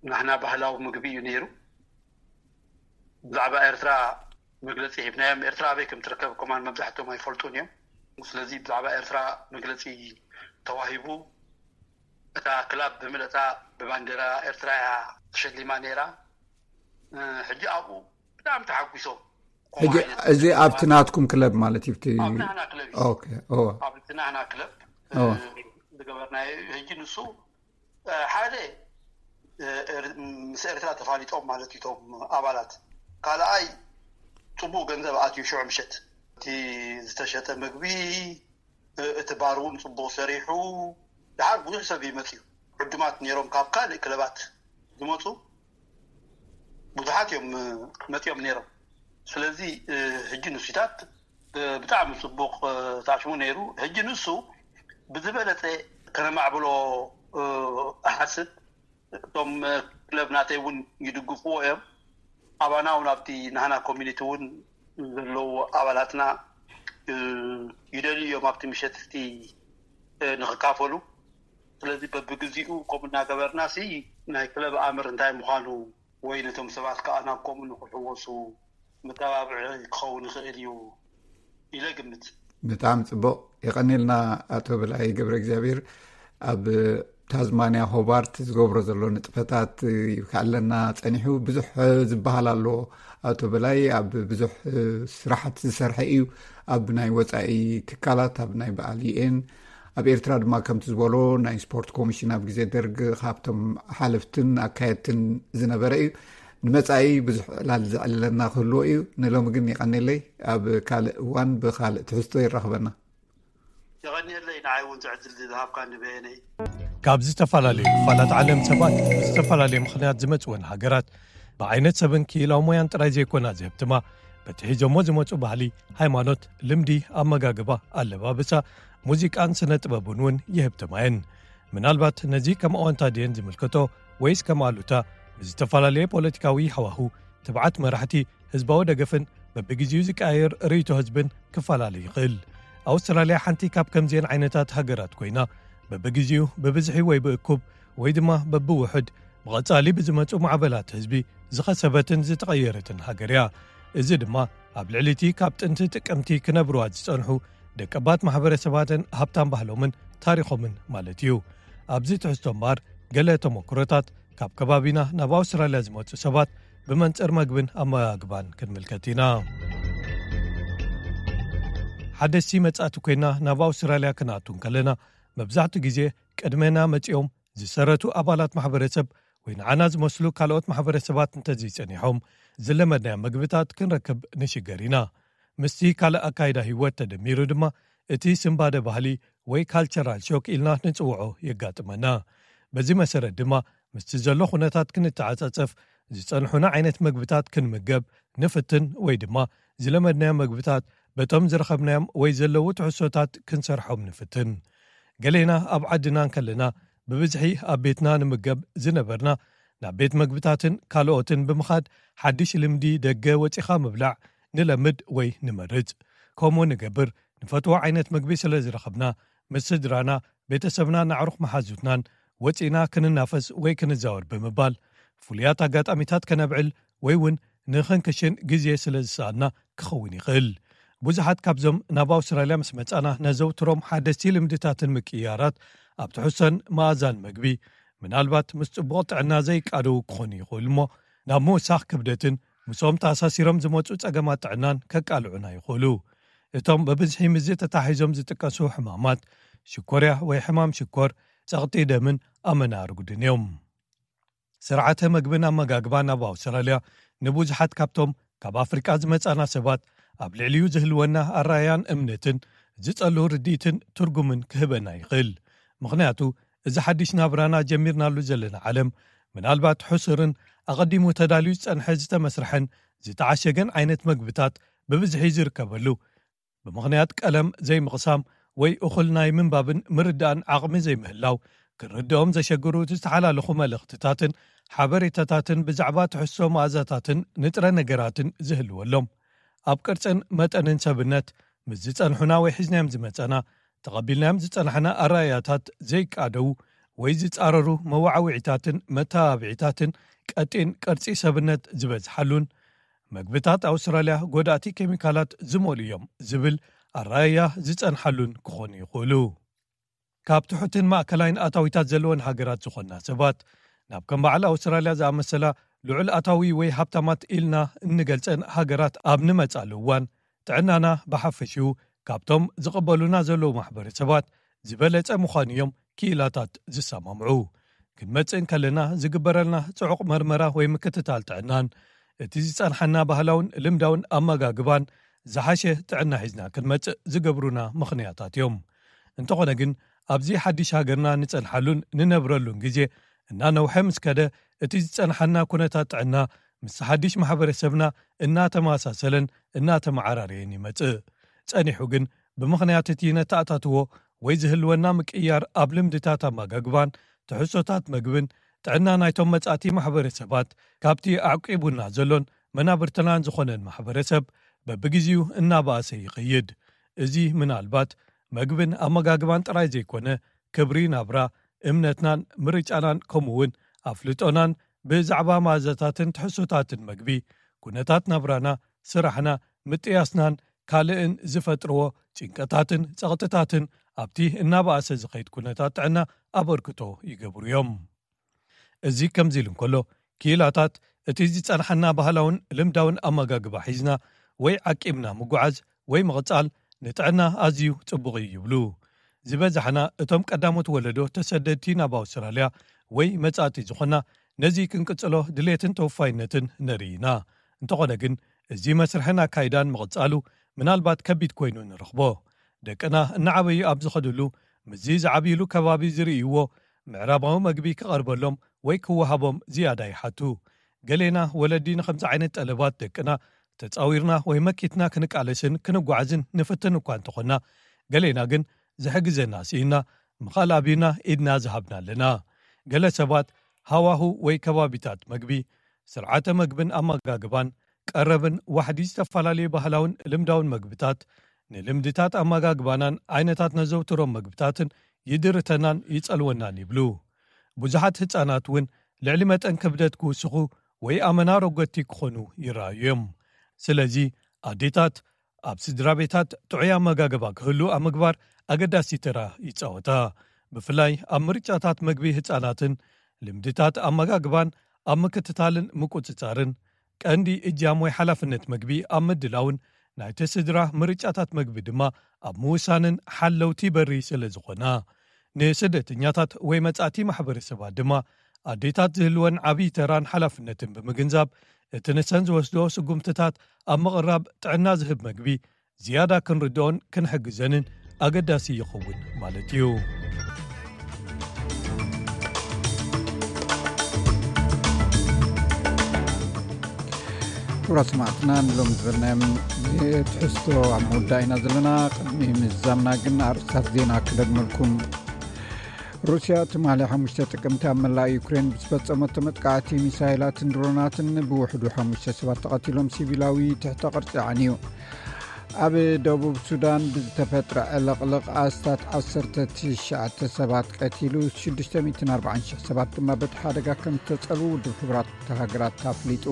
ናህና ባህላዊ ምግቢ እዩ ነይሩ። ብዛዕባ ኤርትራ መግለፂ ሂብናዮም። ኤርትራ ኣበይ ከም ትርከብ ከማን መብዛሕትኦም ኣይፈልጡን እዮም። ስለዚ ብዛዕባ ኤርትራ መግለፂ ተዋሂቡ። እታ ክላብ ብምልእታ ብባንዴራ ኤርትራ እያ ተሸሊማ ነይራ። ሕጂ ኣብኡ ብጣዕሚ ተሓጒሶም። ሕጂ እዚ ኣብቲ ናትኩም ክለብ ማለት እዩ። ኣብ ናህና ክለብ እዩ። ኦኬ እወ ኣብ ናህና ክለብ እወ ዝገበርናዮ። ሕጂ ንሱ ሓደ ምስ ኤርትራ ተፋሊጦም ማለት እዩ እቶም ኣባላት። ካልኣይ ጽቡቕ ገንዘብ ኣትዩ ሽዑ ምሸት እቲ ዝተሸጠ ምግቢ እቲ ባር እውን ጽቡቕ ሰሪሑ። ድሓር ብዙሕ ሰብ ይመጽ እዩ። ዕዱማት ነይሮም ካብ ካልእ ክለባት ዝመጹ ብዙሓት እዮም መጺኦም ነይሮም። ስለዚ ሕጂ ንሱታት ብጣዕሚ ጽቡቕ ታሽሙ ነይሩ። ሕጂ ንሱ ብዝበለጸ ከነማዕብሎ እሓስብ። እቶም ክለብ ናተይ እውን ይድግፍዎ እዮም። ኣባና እውን ኣብቲ ናህና ኮሚኒቲ እውን ዘለዉ ኣባላትና ይደልዩ እዮም ኣብቲ ምሸት እቲ ንክካፈሉ። ስለዚ በብግዚኡ ከምኡ እናገበርና ሲ ናይ ክለብ ኣምር እንታይ ምዃኑ ወይ ነቶም ሰባት ከዓ ናብ ከምኡ ንክሕወሱ መተባብዒ ክኸውን ይኽእል እዩ ኢለ ግምት። ብጣዕሚ ጽቡቕ የቐኒልና ኣቶ በላይ ገብረ እግዚኣብሔር። ኣብ ታዝማንያ ሆባርት ዝገብሮ ዘሎ ንጥፈታት ይብካዕለና ጸኒሑ። ብዙሕ ዝበሃል ኣሎ ኣቶ በላይ ኣብ ብዙሕ ስራሓት ዝሰርሐ እዩ። ኣብ ናይ ወጻኢ ትካላት ኣብ ናይ በዓል ዩኤን ኣብ ኤርትራ ድማ ከምቲ ዝበሎ ናይ ስፖርት ኮሚሽን ኣብ ግዜ ደርግ ካብቶም ሓለፍትን ኣካየድትን ዝነበረ እዩ። ንመጻኢ ብዙሕ ዕላል ዘዕልለና ክህልዎ እዩ። ንሎሚ ግን ይቐኒለይ። ኣብ ካልእ እዋን ብኻልእ ትሕዝቶ ይራኽበና። የቐኒየለይ ንዓይ እውን ዝዕድል ዝሃብካ ንበየነይ። ካብ ዝተፈላለዩ ክፋላት ዓለም ሰባት ብዝተፈላለየ ምኽንያት ዝመፅወን ሃገራት ብዓይነት ሰብን ክኢላዊ ሞያን ጥራይ ዘይኮና ዝህብትማ በቲ ሒዞሞ ዝመፁ ባህሊ፣ ሃይማኖት፣ ልምዲ፣ ኣመጋግባ፣ ኣለባብሳ፣ ሙዚቃን ስነ ጥበብን እውን ይህብትማ እየን። ምናልባት ነዚ ከም ኣወንታ ድየን ዝምልከቶ ወይስ ከም ኣሉታ? ብዝተፈላለየ ፖለቲካዊ ሃዋሁ፣ ትብዓት መራሕቲ፣ ህዝባዊ ደገፍን በብግዜኡ ዝቀያየር ርእይቶ ህዝብን ክፈላለ ይኽእል። ኣውስትራልያ ሓንቲ ካብ ከምዚአን ዓይነታት ሃገራት ኮይና፣ በብግዜኡ ብብዝሒ ወይ ብእኩብ ወይ ድማ በብውሑድ ብቐጻሊ ብዝመጹ ማዕበላት ህዝቢ ዝኸሰበትን ዝተቐየረትን ሃገር እያ። እዚ ድማ ኣብ ልዕሊ እቲ ካብ ጥንቲ ጥቅምቲ ክነብርዋ ዝጸንሑ ደቀባት ማሕበረሰባትን ሃብታም ባህሎምን ታሪኾምን ማለት እዩ። ኣብዚ ትሕዝቶ እምበኣር ገለ ተመክሮታት ካብ ከባቢና ናብ ኣውስትራልያ ዝመጹ ሰባት ብመንጽር መግብን ኣመጋግባን ክንምልከት ኢና። ሓደስቲ መጻእቲ ኮይና ናብ ኣውስትራልያ ክንኣቱ እንከለና መብዛሕትኡ ግዜ ቅድመና መጺኦም ዝሰረቱ ኣባላት ማሕበረሰብ ወይ ንዓና ዝመስሉ ካልኦት ማሕበረሰባት እንተዘይጸኒሖም ዝለመድናዮ መግብታት ክንረክብ ንሽገር ኢና። ምስቲ ካልእ ኣካይዳ ህይወት ተደሚሩ ድማ እቲ ስንባደ ባህሊ ወይ ካልቸራል ሾክ ኢልና ንጽውዖ የጋጥመና። በዚ መሰረት ድማ ምስቲ ዘሎ ኩነታት ክንተዓጻጸፍ፣ ዝጸንሑና ዓይነት መግብታት ክንምገብ ንፍትን፣ ወይ ድማ ዝለመድናዮ መግብታት በቶም ዝረኸብናዮም ወይ ዘለዉ ትሕዝቶታት ክንሰርሖም ንፍትን። ገሌና ኣብ ዓድና እንከለና ብብዝሒ ኣብ ቤትና ንምገብ ዝነበርና፣ ናብ ቤት መግብታትን ካልኦትን ብምኻድ ሓድሽ ልምዲ ደገ ወጺኻ ምብላዕ ንለምድ ወይ ንመርጽ። ከምኡ ንገብር፣ ንፈትዎ ዓይነት መግቢ ስለ ዝረኸብና፣ ምስ ስድራና፣ ቤተሰብናን ኣዕሩኽ መሓዙትናን ወጺና ክንናፈስ ወይ ክንዛወር ብምባል፣ ፍሉያት ኣጋጣሚታት ከነብዕል ወይ እውን ንኽንክሽን ግዜ ስለ ዝሰኣና ክኸውን ይኽእል። ብዙሓት ካብዞም ናብ ኣውስትራልያ ምስ መጻና ነዘውትሮም ሓደስቲ ልምድታትን ምቅይያራት፣ ኣብ ትሕዝቶን መኣዛን መግቢ፣ ምናልባት ምስ ጽቡቕ ጥዕና ዘይቃደዉ ክኾኑ ይኽእሉ እሞ፣ ናብ ምውሳኽ ክብደትን ምስኦም ተኣሳሲሮም ዝመጹ ጸገማት ጥዕናን ከቃልዑና ይኽእሉ። እቶም ብብዝሒ ምስዚ ተታሒዞም ዝጥቀሱ ሕማማት፣ ሽኮርያ ወይ ሕማም ሽኮር፣ ጸቕጢ ደምን ኣመና ኣርጉድን እዮም። ስርዓተ መግብን ኣመጋግባን ኣብ ኣውስትራልያ ንብዙሓት ካብቶም ካብ ኣፍሪቃ ዝመጻና ሰባት ኣብ ልዕሊኡ ዝህልወና ኣረኣያን እምነትን ዝጸሉ ርድኢትን ትርጉምን ክህበና ይኽእል። ምኽንያቱ፣ እዚ ሓድሽ ናብራና ጀሚርናሉ ዘለና ዓለም፣ ምናልባት ሕሱርን ኣቐዲሙ ተዳልዩ ዝጸንሐ ዝተመስርሐን ዝተዓሸገን ዓይነት መግብታት ብብዝሒ ዝርከበሉ፣ ብምኽንያት ቀለም ዘይምቕሳም ወይ እኹል ናይ ምንባብን ምርዳእን ዓቕሚ ዘይምህላው፣ ክርድኦም ዘሸግሩ ዝተሓላለኹ መልእኽትታትን ሓበሬታታትን ብዛዕባ ትሕዝቶ መኣዛታትን ንጥረ ነገራትን ዝህልወሎም፣ ኣብ ቅርጽን መጠንን ሰብነት ምስ ዝጸንሑና ወይ ሒዝናዮም ዝመጸና፣ ተቐቢልናዮም ዝጸናሕና ኣረኣእያታት ዘይቃደዉ ወይ ዝጻረሩ መዋዕዊዒታትን መተባብዒታትን ቀጢን ቅርጺ ሰብነት ዝበዝሓሉን፣ መግብታት ኣውስትራልያ ጎዳእቲ ኬሚካላት ዝመልኡ እዮም ዝብል ኣረኣእያ ዝጸንሓሉን ክኾኑ ይኽእሉ። ካብ ትሑትን ማእከላይን ኣታዊታት ዘለወን ሃገራት ዝኾንና ሰባት፣ ናብ ከም በዓል ኣውስትራልያ ዝኣመሰላ ልዑል ኣታዊ ወይ ሃብታማት ኢልና እንገልጸን ሃገራት ኣብ ንመጻሉ እዋን፣ ጥዕናና ብሓፈሽኡ ካብቶም ዝቕበሉና ዘለዉ ማሕበረሰባት ዝበለጸ ምዃኑ እዮም ክኢላታት ዝሰማምዑ። ክንመጽእ እንከለና ዝግበረልና ጽዑቕ መርመራ ወይ ምክትታል ጥዕናን፣ እቲ ዝጸንሓና ባህላውን ልምዳውን ኣመጋግባን ዝሓሸ ጥዕና ሒዝና ክንመጽእ ዝገብሩና ምኽንያታት እዮም። እንተኾነ ግን፣ ኣብዚ ሓድሽ ሃገርና ንጸንሓሉን ንነብረሉን ግዜ እናነውሐ ምስ ከደ፣ እቲ ዝጸንሓና ኩነታት ጥዕና ምስ ሓድሽ ማሕበረሰብና እናተመሳሰለን እናተመዓራረየን ይመጽእ። ጸኒሑ ግን፣ ብምኽንያት እቲ ነተኣታትዎ ወይ ዝህልወና ምቅይያር ኣብ ልምድታት ኣመጋግባን ትሕዝቶታት መግብን፣ ጥዕና ናይቶም መጻእቲ ማሕበረሰባት፣ ካብቲ ኣዕቂቡና ዘሎን መናብርትናን ዝኾነን ማሕበረሰብ በብግዜኡ እናበኣሰ ይኸይድ። እዚ ምናልባት መግብን ኣመጋግባን ጥራይ ዘይኮነ፣ ክብሪ ናብራ፣ እምነትናን ምርጫናን፣ ከምኡ እውን ኣፍልጦናን ብዛዕባ መኣዛታትን ትሕዝቶታትን መግቢ፣ ኩነታት ናብራና፣ ስራሕና፣ ምጥያስናን ካልእን ዝፈጥርዎ ጭንቀታትን ጸቕጥታትን ኣብቲ እናበኣሰ ዝኸይድ ኩነታት ጥዕና ኣበርክቶ ይገብሩ እዮም። እዚ ከምዚ ኢሉ እንከሎ፣ ክኢላታት እቲ ዝጸንሓና ባህላውን ልምዳውን ኣመጋግባ ሒዝና ወይ ዓቂብና ምጉዓዝ ወይ ምቕጻል ንጥዕና ኣዝዩ ጽቡቕ እዩ ይብሉ። ዝበዛሕና እቶም ቀዳሞት ወለዶ ተሰደድቲ ናብ ኣውስትራልያ ወይ መጻእቲ ዝኾና፣ ነዚ ክንቅጽሎ ድሌትን ተወፋይነትን ነርኢ ኢና። እንተኾነ ግን፣ እዚ መስርሕን ኣካይዳን ምቕጻሉ ምናልባት ከቢድ ኮይኑ ንረኽቦ። ደቅና እናዓበዩ ኣብ ዝኸድሉ፣ ምስዚ ዝዓብይሉ ከባቢ ዝርእይዎ ምዕራባዊ መግቢ ክቐርበሎም ወይ ክወሃቦም ዝያዳ ይሓቱ። ገሌና ወለዲ ንኸምዚ ዓይነት ጠለባት ደቅና ተጻዊርና ወይ መኪትና ክንቃለስን ክንጓዓዝን ንፍትን እኳ እንተኾንና፣ ገሌና ግን ዝሕግዘና ስኢና፣ ምኻል ኣብዩና ኢድና ዝሃብና ኣለና። ገለ ሰባት ሃዋሁ ወይ ከባቢታት መግቢ፣ ስርዓተ መግብን ኣመጋግባን፣ ቀረብን ዋሕዲ ዝተፈላለዩ ባህላውን ልምዳውን መግብታት፣ ንልምድታት ኣመጋግባናን ዓይነታት ነዘውትሮም መግብታትን ይድርተናን ይጸልወናን ይብሉ። ብዙሓት ህጻናት እውን ልዕሊ መጠን ክብደት ክውስኹ ወይ ኣመና ረጎድቲ ክኾኑ ይረኣዩ እዮም። ስለዚ፣ ኣዴታት ኣብ ስድራ ቤታት ጥዑይ ኣመጋግባ ክህሉ ኣብ ምግባር ኣገዳሲ ተራ ይጻወታ። ብፍላይ ኣብ ምርጫታት መግቢ ህጻናትን ልምድታት ኣመጋግባን ኣብ ምክትታልን ምቁጽጻርን፣ ቀንዲ እጃም ወይ ሓላፍነት መግቢ ኣብ ምድላውን ናይቲ ስድራ ምርጫታት መግቢ ድማ ኣብ ምውሳንን ሓለውቲ በሪ ስለ ዝኾና፣ ንስደተኛታት ወይ መጻእቲ ማሕበረሰባት ድማ ኣዴታት ዝህልወን ዓብዪ ተራን ሓላፍነትን ብምግንዛብ፣ እቲ ንሰን ዝወስዶ ስጉምትታት ኣብ ምቕራብ ጥዕና ዝህብ መግቢ ዝያዳ ክንርድኦን ክንሕግዘንን ኣገዳሲ ይኸውን ማለት እዩ። ክቡራት ሰማዕትና፣ ንሎም ዝበልናዮም ትሕዝቶ ኣብ መወዳእ ኢና ዘለና። ቅድሚ ምዛምና ግን ኣርእስታት ዜና ክደግመልኩም። ሩስያ ትማሊ ሓሙሽተ ጥቅምቲ ኣብ መላእ ዩክሬን ብዝፈጸመቶ መጥቃዕቲ ሚሳይላትን ድሮናትን ብውሕዱ ሓሙሽተ ሰባት ተቐቲሎም፣ ሲቪላዊ ትሕተ ቅርጺ ዓንዩ። ኣብ ደቡብ ሱዳን ብዝተፈጥረ ዕልቕልቕ ኣስታት ዓሰርተ ትሽዓተ ሰባት ቀቲሉ፣ ሽዱሽተ ሚእትን ኣርባዓን ሽሕ ሰባት ድማ በቲ ሓደጋ ከም ዝተጸልዉ ውድብ ሕቡራት ሃገራት ኣፍሊጡ።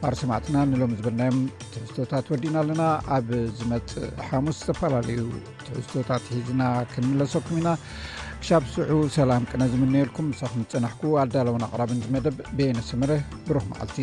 ክቡራት ሰማዕትና፣ ንሎም ዝበልናዮም ትሕዝቶታት ወዲና ኣለና። ኣብ ዝመጽእ ሓሙስ ዝተፈላለዩ ትሕዝቶታት ሒዝና ክንምለሰኩም ኢና። ክሻብ ስዑ ሰላም ቅነ ዝምነየልኩም፣ ምሳኹም ዝጸናሕኩ ኣዳለውን ኣቕራብን ዝመደብ በየነ ሰመረ። ብሩኽ መዓልቲ።